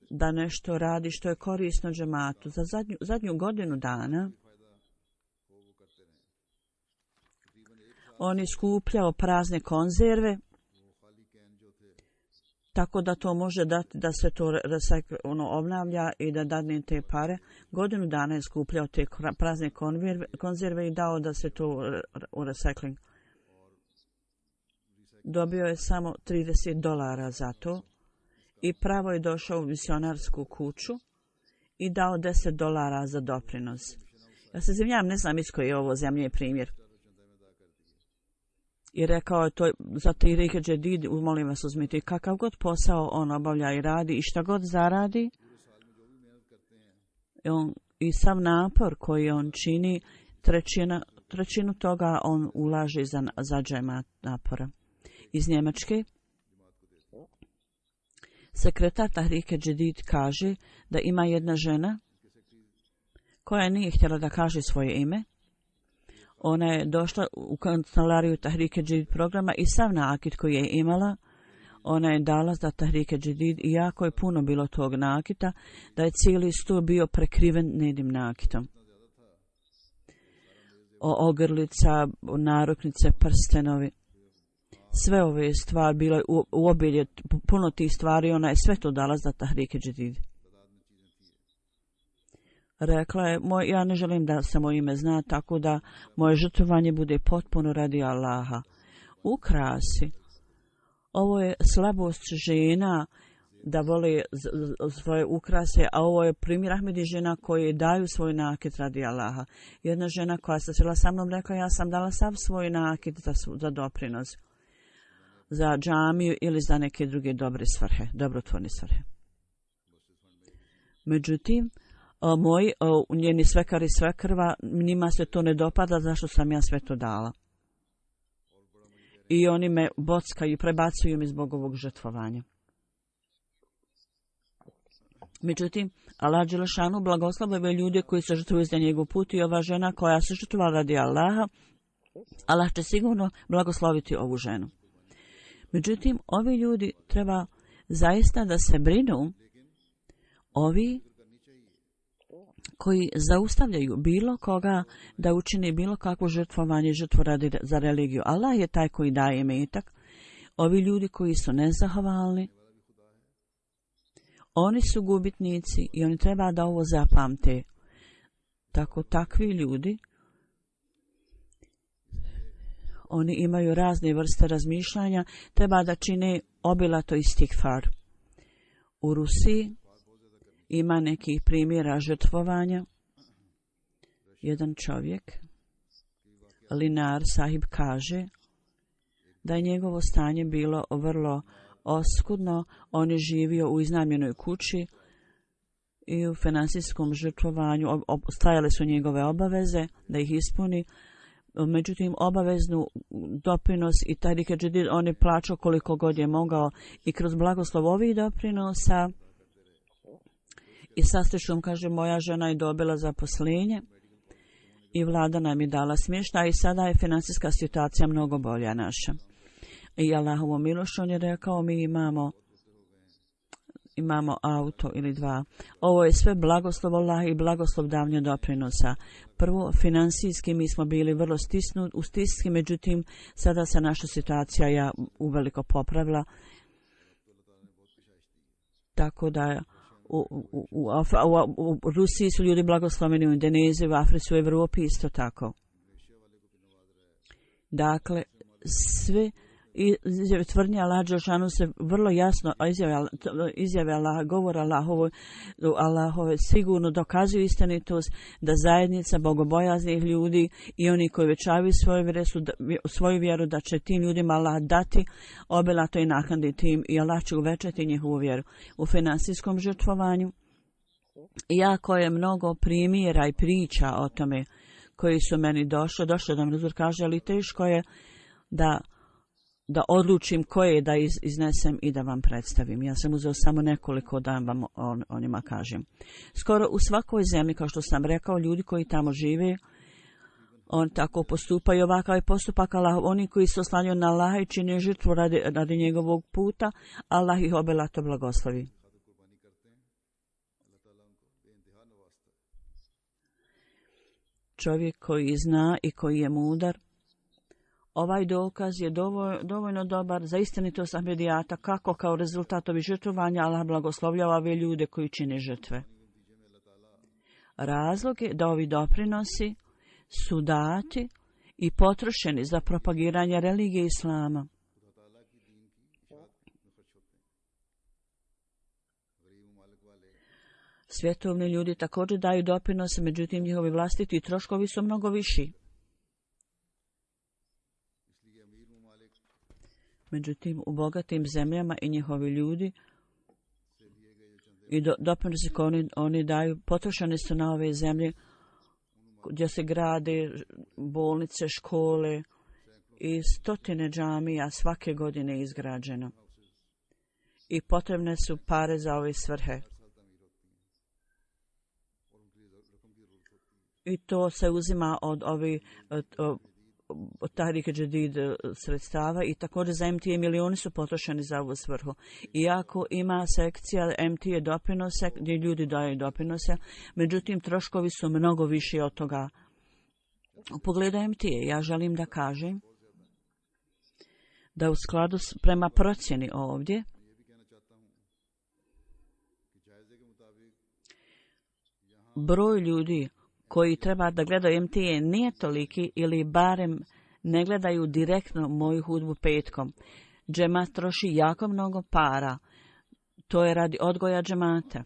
S2: da nešto radi što je korisno džematu. Za zadnju godinu dana on je skupljao prazne konzerve, tako da to može dati da se to obnavlja i da dadne te pare. Godinu dana je skupljao te prazne konzerve i dao da se to u recycling. Dobio je samo $30 za to i pravo je došao u misionarsku kuću i dao $10 za doprinos. Ja se izvinjavam, ne znam iz koje je ovo zemlje primjer. I rekao je to za Tahrike Džedid, molim vas uzmite, kakav god posao on obavlja i radi i šta god zaradi, i sav napor koji on čini, trećinu toga on ulaže za džemat napora. Iz Njemačke sekretar Tahrike Džedid kaže da ima jedna žena koja nije htjela da kaže svoje ime. Ona je došla u kancelariju Tahrike Džedid programa i sav nakit koji je imala, ona je dala za Tahrike Džedid i jako je puno bilo tog nakita, da je cijeli sto bio prekriven nedim nakitom. Ogrlica, naruknice, prstenovi. Sve ove stvari bilo je u obilje, puno tih stvari, ona je sve to dala za Tahrike Džedid. Rekla je, ja ne želim da se moje ime zna, tako da moje žrtvovanje bude potpuno radi Allaha. Ukrasi. Ovo je slabost žena da vole svoje ukrase, a ovo je primjer Ahmedi žena koje daju svoj nakit radi Allaha. Jedna žena koja se srela sa mnom rekla, ja sam dala sav svoj nakit za doprinos, za džamiju ili za neke druge dobre svrhe, dobrotvorne svrhe. Međutim, njeni svekar i svekrva, njima se to ne dopada, zašto sam ja sve to dala. I oni me bockaju i prebacuju mi zbog ovog žrtvovanja. Međutim, Allah dželešanu blagoslavljuje ljude koji se žrtvuju za njegov put i ova žena koja se žrtvovala radi Allaha, Allah će sigurno blagosloviti ovu ženu. Međutim, ovi ljudi treba zaista da se brinu, ovi koji zaustavljaju bilo koga da učini bilo kakvo žrtvovanje, žrtvu radi za religiju. Allah je taj koji daje imetak. Ovi ljudi koji su nezahvalni, oni su gubitnici i oni treba da ovo zapamte. Takvi ljudi, oni imaju razne vrste razmišljanja, treba da čine obilato istigfar. U Rusiji ima nekih primjera žrtvovanja. Jedan čovjek, Linar Sahib, kaže da je njegovo stanje bilo vrlo oskudno. On je živio u iznajmljenoj kući i u finansijskom žrtvovanju. Stajale su njegove obaveze da ih ispuni. Međutim, obaveznu doprinos i Tahrike Džedid on je plaćao koliko god je mogao i kroz blagoslov ovih doprinosa i sa srećom, kaže, moja žena je dobila zaposlenje i vlada nam je dala smještaj i sada je finansijska situacija mnogo bolja naša. I Allahovom milošću on je rekao, mi imamo auto ili 2. Ovo je sve blagoslov Allaha i blagoslov davanja doprinosa. Prvo, finansijski mi smo bili vrlo u stisci, međutim, sada se naša situacija uveliko popravila. Tako da u Rusiji su ljudi blagosloveni, u Indoneziji, u Africi, u Evropi isto tako. Dakle, sve izjave tvrdnje Allah dželešanu se vrlo jasno izjave Allah, govor Allahove sigurno dokazuju istinitost da zajednica bogobojaznih ljudi i oni koji večavaju svoju vjeru da će tim ljudima Allah dati obilato i naknaditi im i Allah će uvećati njihovu vjeru. U finansijskom žrtvovanju jako je mnogo primjera i priča o tome koji su meni došli da mi Rezul kaže, ali teško je da odlučim koje da iznesem i da vam predstavim. Ja sam uzeo samo nekoliko da vam o njima kažem. Skoro u svakoj zemlji, kao što sam rekao, ljudi koji tamo žive, on tako postupaju, ovakav je postupak Allah. Oni koji se oslanjaju na Allaha i čine žrtvu radi njegovog puta, Allah ih obilato blagoslovi. Čovjek koji zna i koji je mudar, ovaj dokaz je dovoljno dobar za istinitost Ahmedijata, kako kao rezultat ovih žrtvovanja Allah blagoslovljava ove ljude koji čine žrtve. Razlog je da ovi doprinosi su dati i potrošeni za propagiranje religije Islama. Svjetovni ljudi također daju doprinose, međutim njihovi vlastiti troškovi su mnogo viši. Međutim, u bogatim zemljama i njihovi ljudi i doprinosi koje oni daju potrošeni su na ove zemlje gdje se grade bolnice, škole i stotine džamija svake godine izgrađeno. I potrebne su pare za ove svrhe. I to se uzima od Tahrik Džedid sredstava i također za MTA milioni su potrošeni za ovu svrhu. Iako ima sekcija MTA doprinose gdje ljudi daju doprinose, međutim troškovi su mnogo viši od toga. U pogledu MTA ja želim da kažem da u skladu prema procjeni ovdje broj ljudi koji treba da gledaju MTA nije toliki ili barem ne gledaju direktno moju hudbu petkom. Džemat troši jako mnogo para. To je radi odgoja džemata.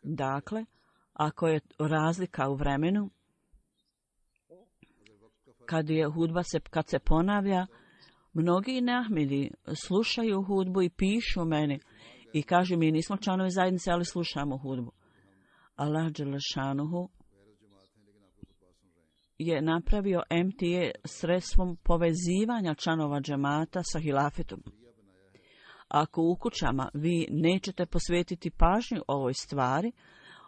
S2: Dakle, ako je razlika u vremenu, kad se ponavlja, mnogi neahmedi slušaju hudbu i pišu meni i kažu mi nismo članovi zajednice, ali slušamo hudbu. Allah dželešanuhu je napravio MTA sredstvom povezivanja članova džemata sa hilafetom. Ako u kućama vi nećete posvetiti pažnju ovoj stvari,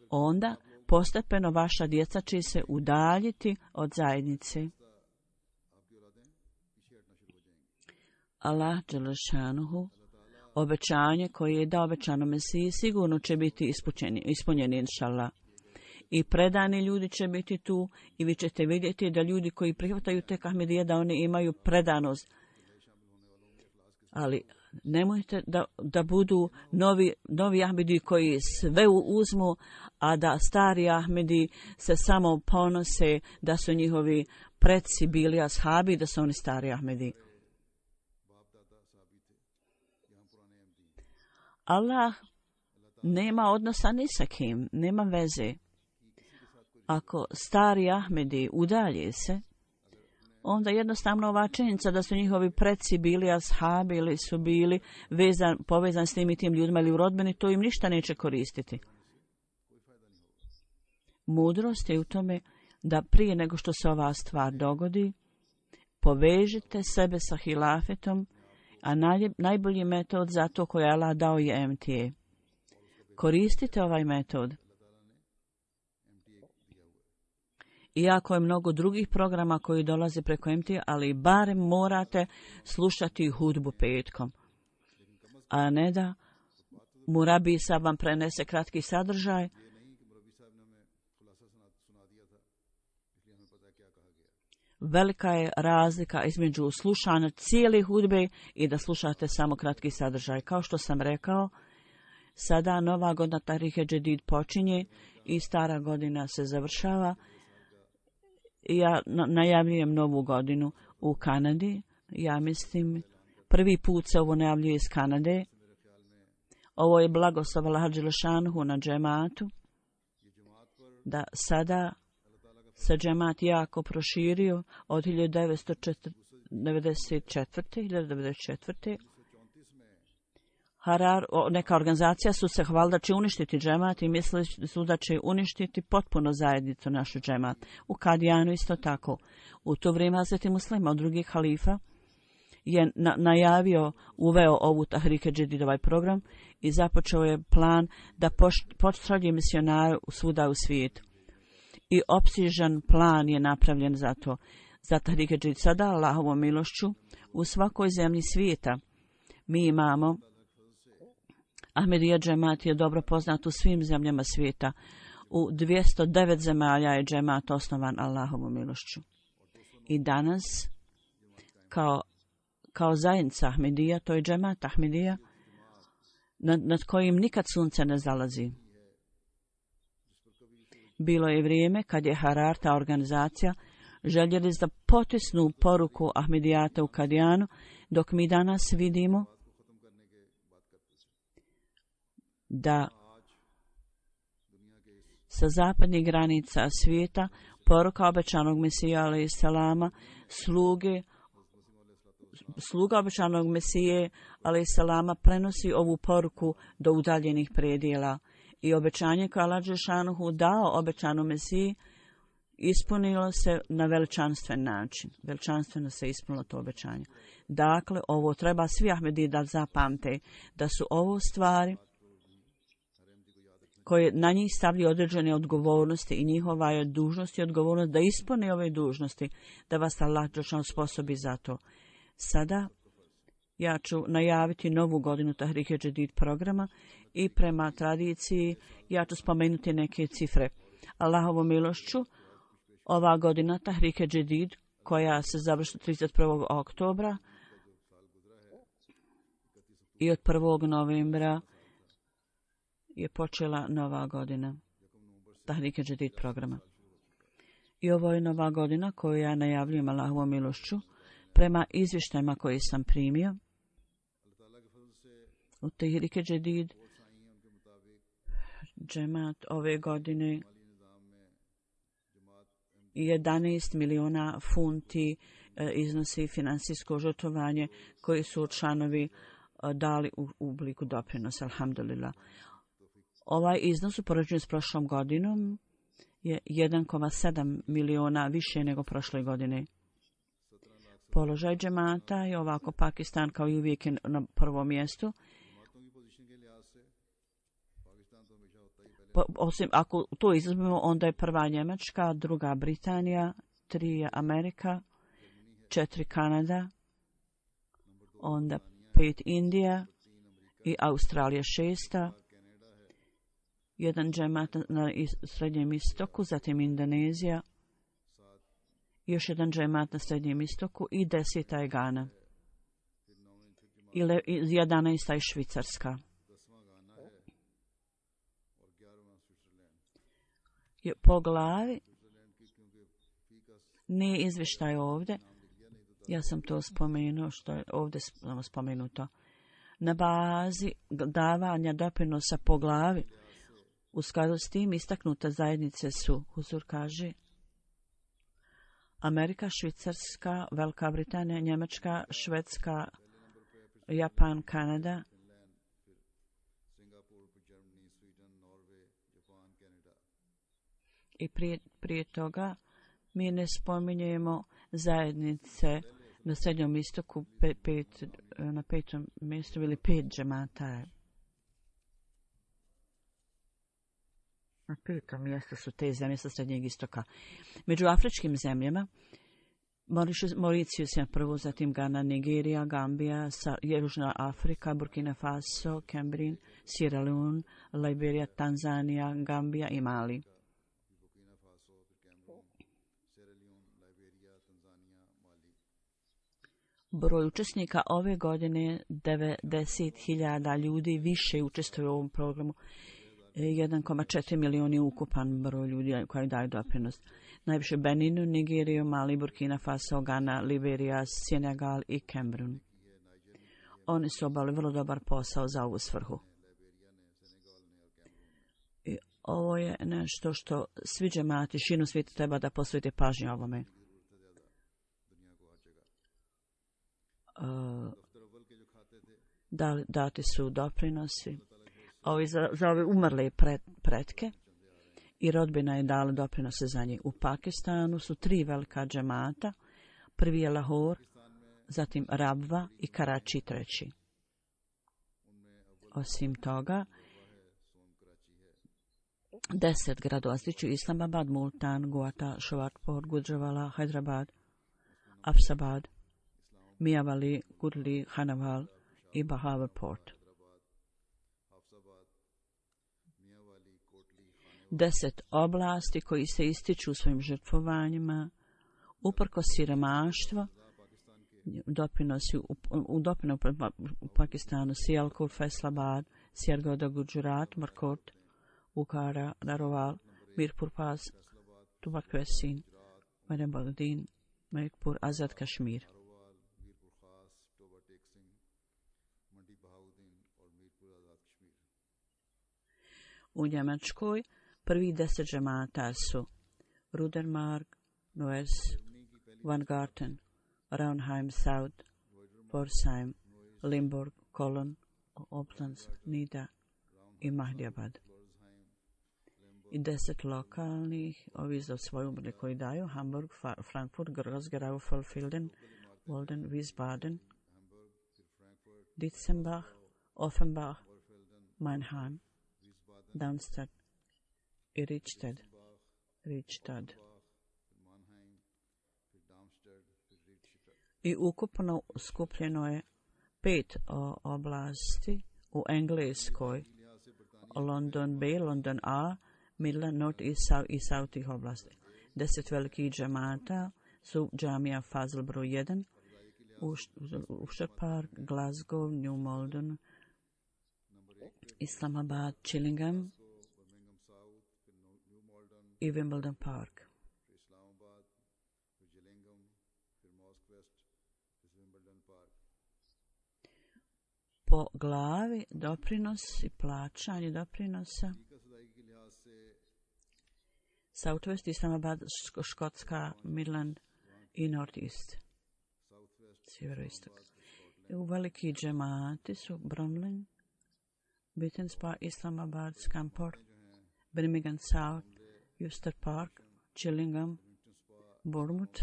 S2: onda postepeno vaša djeca će se udaljiti od zajednice. Allah dželešanuhu obećanje koje je dao obećano Mesiji sigurno će biti ispunjeni inšallah. I predani ljudi će biti tu i vi ćete vidjeti da ljudi koji prihvataju tek Ahmedije da oni imaju predanost. Ali nemojte da budu novi Ahmedi koji sve uzmu, a da stari Ahmedi se samo ponose da su njihovi preci bili ashabi, da su oni stari Ahmedi. Allah nema odnosa ni sa kim, nema veze. Ako stari Ahmedi udalje se, onda jednostavno ova činjenica da su njihovi preci bili ashabi ili su bili povezani s tim i tim ljudima ili u rodbini, to im ništa neće koristiti. Mudrost je u tome da prije nego što se ova stvar dogodi, povežite sebe sa hilafetom, a najbolji metod za to koji je Allah dao je MTA. Koristite ovaj metod. Iako je mnogo drugih programa koji dolaze preko MTA, ali barem morate slušati hudbu petkom. A ne da Murabi sad vam prenese kratki sadržaj. Velika je razlika između slušanja cijele hudbe i da slušate samo kratki sadržaj. Kao što sam rekao, sada nova godina Tahrik Džedid počinje i stara godina se završava. Ja najavljujem novu godinu u Kanadi. Ja mislim Prvi put se ovo najavljuje iz Kanade. Ovo je blagoslov Allaha dželešanuhu na džematu, da sada se džemat jako proširio od 1994. Neka organizacija su se hvalila da će uništiti džemat i mislili su da će uništiti potpuno zajednicu našu džemat. U Kadijanu isto tako. U to vrijeme Hazreti Muslima od drugih halifa je najavio, uveo ovu Tahrike Džedid, ovaj program, i započeo je plan da pošalje misionare svuda u svijetu. I opsežan plan je napravljen za to. Za Tahrike Džedid sada, Allahovom milošću, u svakoj zemlji svijeta mi imamo Ahmedija džemat je dobro poznat u svim zemljama svijeta. U 209 zemalja je džemat osnovan Allahovom milošću. I danas, kao zajednica Ahmedija, to je džemat Ahmedija, nad kojim nikad sunce ne zalazi. Bilo je vrijeme kad je Harar, ta organizacija, željeli da potisnu poruku Ahmedijata u Kadijanu, dok mi danas vidimo da sa zapadnih granica svijeta poruka obećanog Mesija alejhi selama, sluga obećanog Mesije alejhi selama prenosi ovu poruku do udaljenih predjela i obećanje koje Allah dželešanuhu dao obećanom Mesiji ispunilo se na veličanstven način. Veličanstveno se ispunilo to obećanje. Dakle, ovo treba svi Ahmediji da zapamte, da su ovo stvari koje na njih stavljaju određene odgovornosti i njihova je dužnost i odgovornost da ispune ove dužnosti, da vas Allah dželešanuhu sposobi za to. Sada ja ću najaviti novu godinu Tahrike Džedid programa i prema tradiciji ja ću spomenuti neke cifre. Allahovom milošću, ova godina Tahrike Džedid, koja se završi 31. oktobra i od 1. novembra je počela nova godina Tahrike Džedid programa. I ovo je nova godina koju ja najavljujem Allahovom milošću prema izvještajima koje sam primio u Tahrike Džedid. Džemat ove godine 11 miliona funti iznosi financijsko žrtvovanje koji su članovi dali u obliku doprinosa, alhamdulillah. Ovaj iznos u poređenju s prošlom godinom je 1,7 miliona više nego prošle godine. Položaj džemata je ovako Pakistan kao i uvijek na prvom mjestu. Osim ako to izuzmemo, onda je prva Njemačka, druga Britanija, 3 je Amerika, 4 Kanada, onda 5 Indija i Australija 6. Jedan džemat na Srednjem istoku, zatim Indonezija, još jedan džemat na Srednjem istoku i 10. je Gana. I 11. je Švicarska. Po glavi nije izvještaj ovdje. Ja sam to spomenuo što je ovdje spomenuto. Na bazi davanja doprinosa po glavi u skladu s tim istaknute zajednice su, Huzur kaže, Amerika, Švicarska, Velika Britanija, Njemačka, Švedska, Japan, Kanada, i prije toga mi ne spominjemo zajednice na Srednjom istoku, na 5. mjestu ili 5 džemata. Na 5. mjestu su te zemlje sa Srednjeg istoka. Među afričkim zemljama Mauricijus je prvo, zatim Gana, Nigerija, Gambija, Južna Afrika, Burkina Faso, Kembrin, Sierra Leone, Liberija, Tanzanija, Gambija i Mali. Broj učesnika ove godine 90.000 ljudi više učestvuje u ovom programu. 1,4 milijuna je ukupan broj ljudi koji daju doprinos. Najviše Beninu, Nigeriju, Mali, Burkina Faso, Gana, Liberija, Senegal i Kamerun. Oni su obavili vrlo dobar posao za ovu svrhu. I ovo je nešto što svi džemati širom svijeta treba da posvete pažnju ovome. Dati su doprinosi. Ovi za ove umrle pretke i rodbina je dala doprinose za njih. U Pakistanu su 3 velika džemata. Prvi je Lahore, zatim Rabva i Karači treći. Osim toga, 10 gradova stiču Islamabad, Multan, Guwahati, Sholapur, Gujranwala, Hyderabad, Afsabad, Miawali, Gurli, Hanawal i Bahawalpur. 10 oblasti koji se ističu u svojim žrtvovanjima, uprkos siromaštva, doprinosi u Pakistanu Sialkot, Faisalabad, Sialkot, Gujarat, Markot, Bukhara, Narowal, Mirpur Pas, Tubakvesin, Madinabagdin, Malikpur, Azad Kashmir. U Njemačkoj prvi 10 džemata su Rudermark, Neuss, Weingarten, Raunheim South, Pforzheim, Limburg, Cologne, Oplands, Nida i Mahdiabad. I 10 lokalnih, ovi za svoju umrli koji daju, Hamburg, Frankfurt, Groß-Gerau, Vollfilden, Walden, Wiesbaden, Ditzenbach, Offenbach, Mannheim, Darmstadt i Richtad. I ukupno skupljeno je 5 oblasti u Engleskoj, London B, London A, Midland, North i South ih oblasti. 10 velikih džemata su džamija Fazl broj 1, Worcester Park, Glasgow, New Malden, Islamabad, Chillingham i Wimbledon Park. Po glavi doprinos i plaćanje doprinosa Southwest, Islamabad, Škotska, Midland i Northeast, sjeveroistok. U veliki džemati su Bromley, Beaton Spa, Islamabad, Scamport, Birmingham South, Worcester Park, Chillingham, Bournemouth,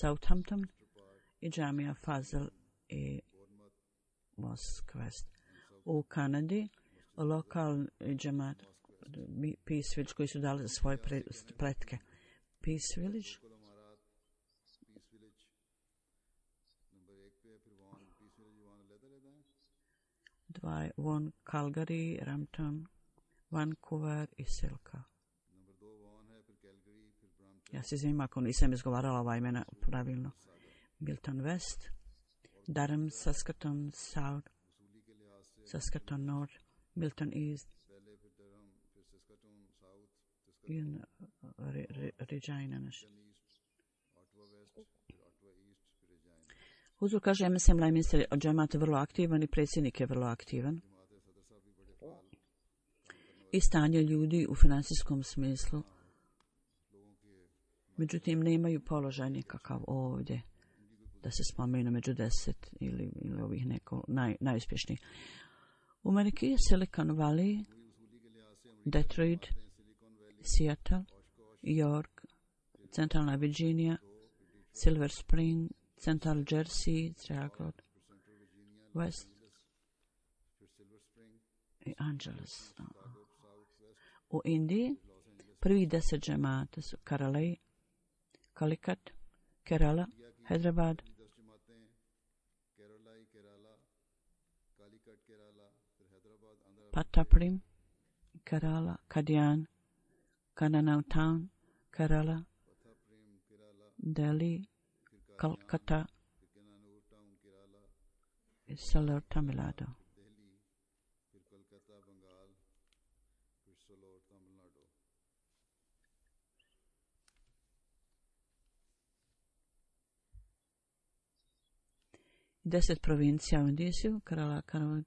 S2: Southampton i džamija Fazl i Mosque. U Kanadi lokalni džemat Peace Village koji su dali za svoje pretke. Peace Village One Calgary, Rampton, Vancouver i Silka. Ja se izvinim ako nisam izgovarala ova imena pravilno. Milton West, Durham, Saskatoon South, Saskatoon North, Milton East i Regina. Huzur kaže, MSM Lajminster od džemata vrlo aktivan i predsjednik je vrlo aktivan. I stanje ljudi u financijskom smislu. Međutim, nemaju položaj nikakav ovdje da se spomenu među 10 ili ovih neko najuspješnijih. U Ameriki je Silicon Valley, Detroit, Seattle, York, centralna Virginia, Silver Spring, Central Jersey, Triangle, West i Angeles. U Indiji prvi 10 džemata su Karalai, Calicut, Kerala, Hyderabad, Pataprim, Kerala, Kadian, Kananau Town, Kerala, Delhi, Calcutta i Salor, Tamil Nadu. 10 provincija u Indiju, Kerala,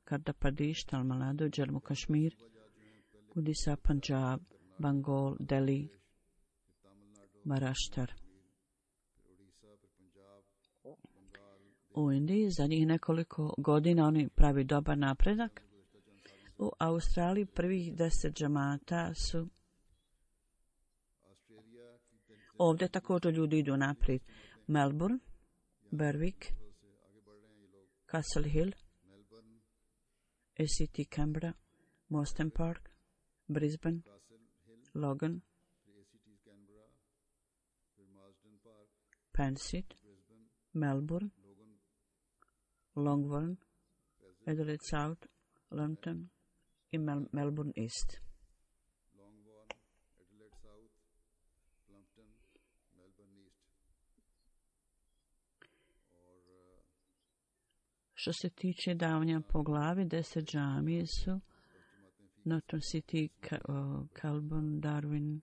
S2: Kardapadeš, Tamil Nadu, Jammu Kashmir, Odisha, Punjab, Bengal, Delhi, Maharashtra. U Indiji zadnjih nekoliko godina oni pravi dobar napredak. U Australiji prvih 10 džamata su ovdje također ljudi idu naprijed. Melbourne, Berwick, Castle Hill, ACT Canberra, Mostyn Park, Brisbane, Logan, Pensit, Melbourne, Longbourn, Adelaide South, London i Melbourne East. Što se tiče davanja po glavi, 10 džamije su Norton City, Calburn, Darwin,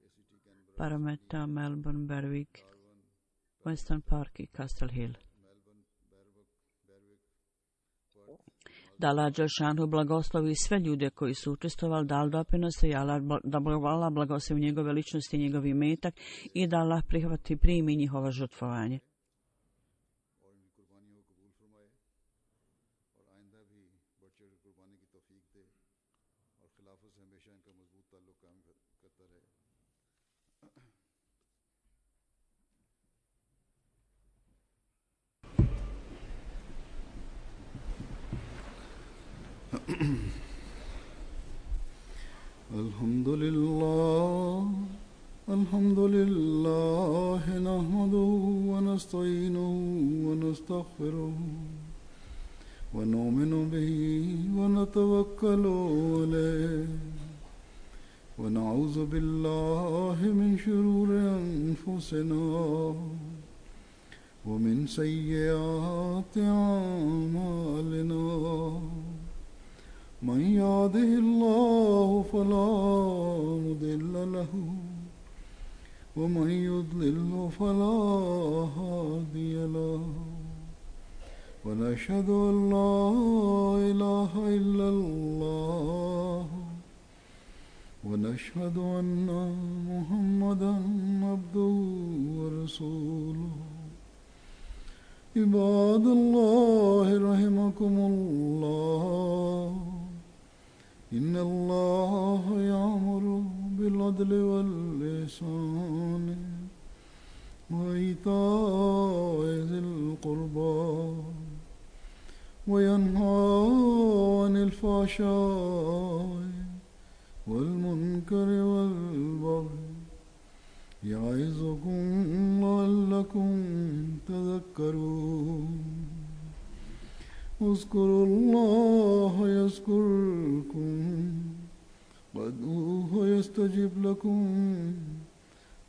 S2: Parramatta, Melbourne, Berwick, Western Park i Castle Hill. Da Allah Đelešanu blagoslovi sve ljude koji su učestvovali, dali doprinose i da Allah blagoslovi njegove ličnosti i njegov imetak i da Allah primi njihovo žrtvovanje.
S1: Alhamdulillah, nahmaduhu wa nasta'inuhu wa nastaghfiruhu wa nu'minu bihi wa natawakkalu alayhi wa na'udhu billahi min shururi anfusina wa min sayyiati a'malina. من يهده الله فلا مضل له ومن يضلل فلا هادي له ونشهد أن لا إله إلا الله ونشهد أن محمدا عبده ورسوله. عباد الله رحمكم الله، إن الله يأمر بالعدل والإحسان وإيتاء ذي القربى وينهى عن الفحشاء والمنكر والبغي يعظكم لعلكم تذكرون. اذكروا الله يذكركم وادعوه يستجب لكم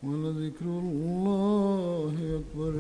S1: ولذكر الله أكبر.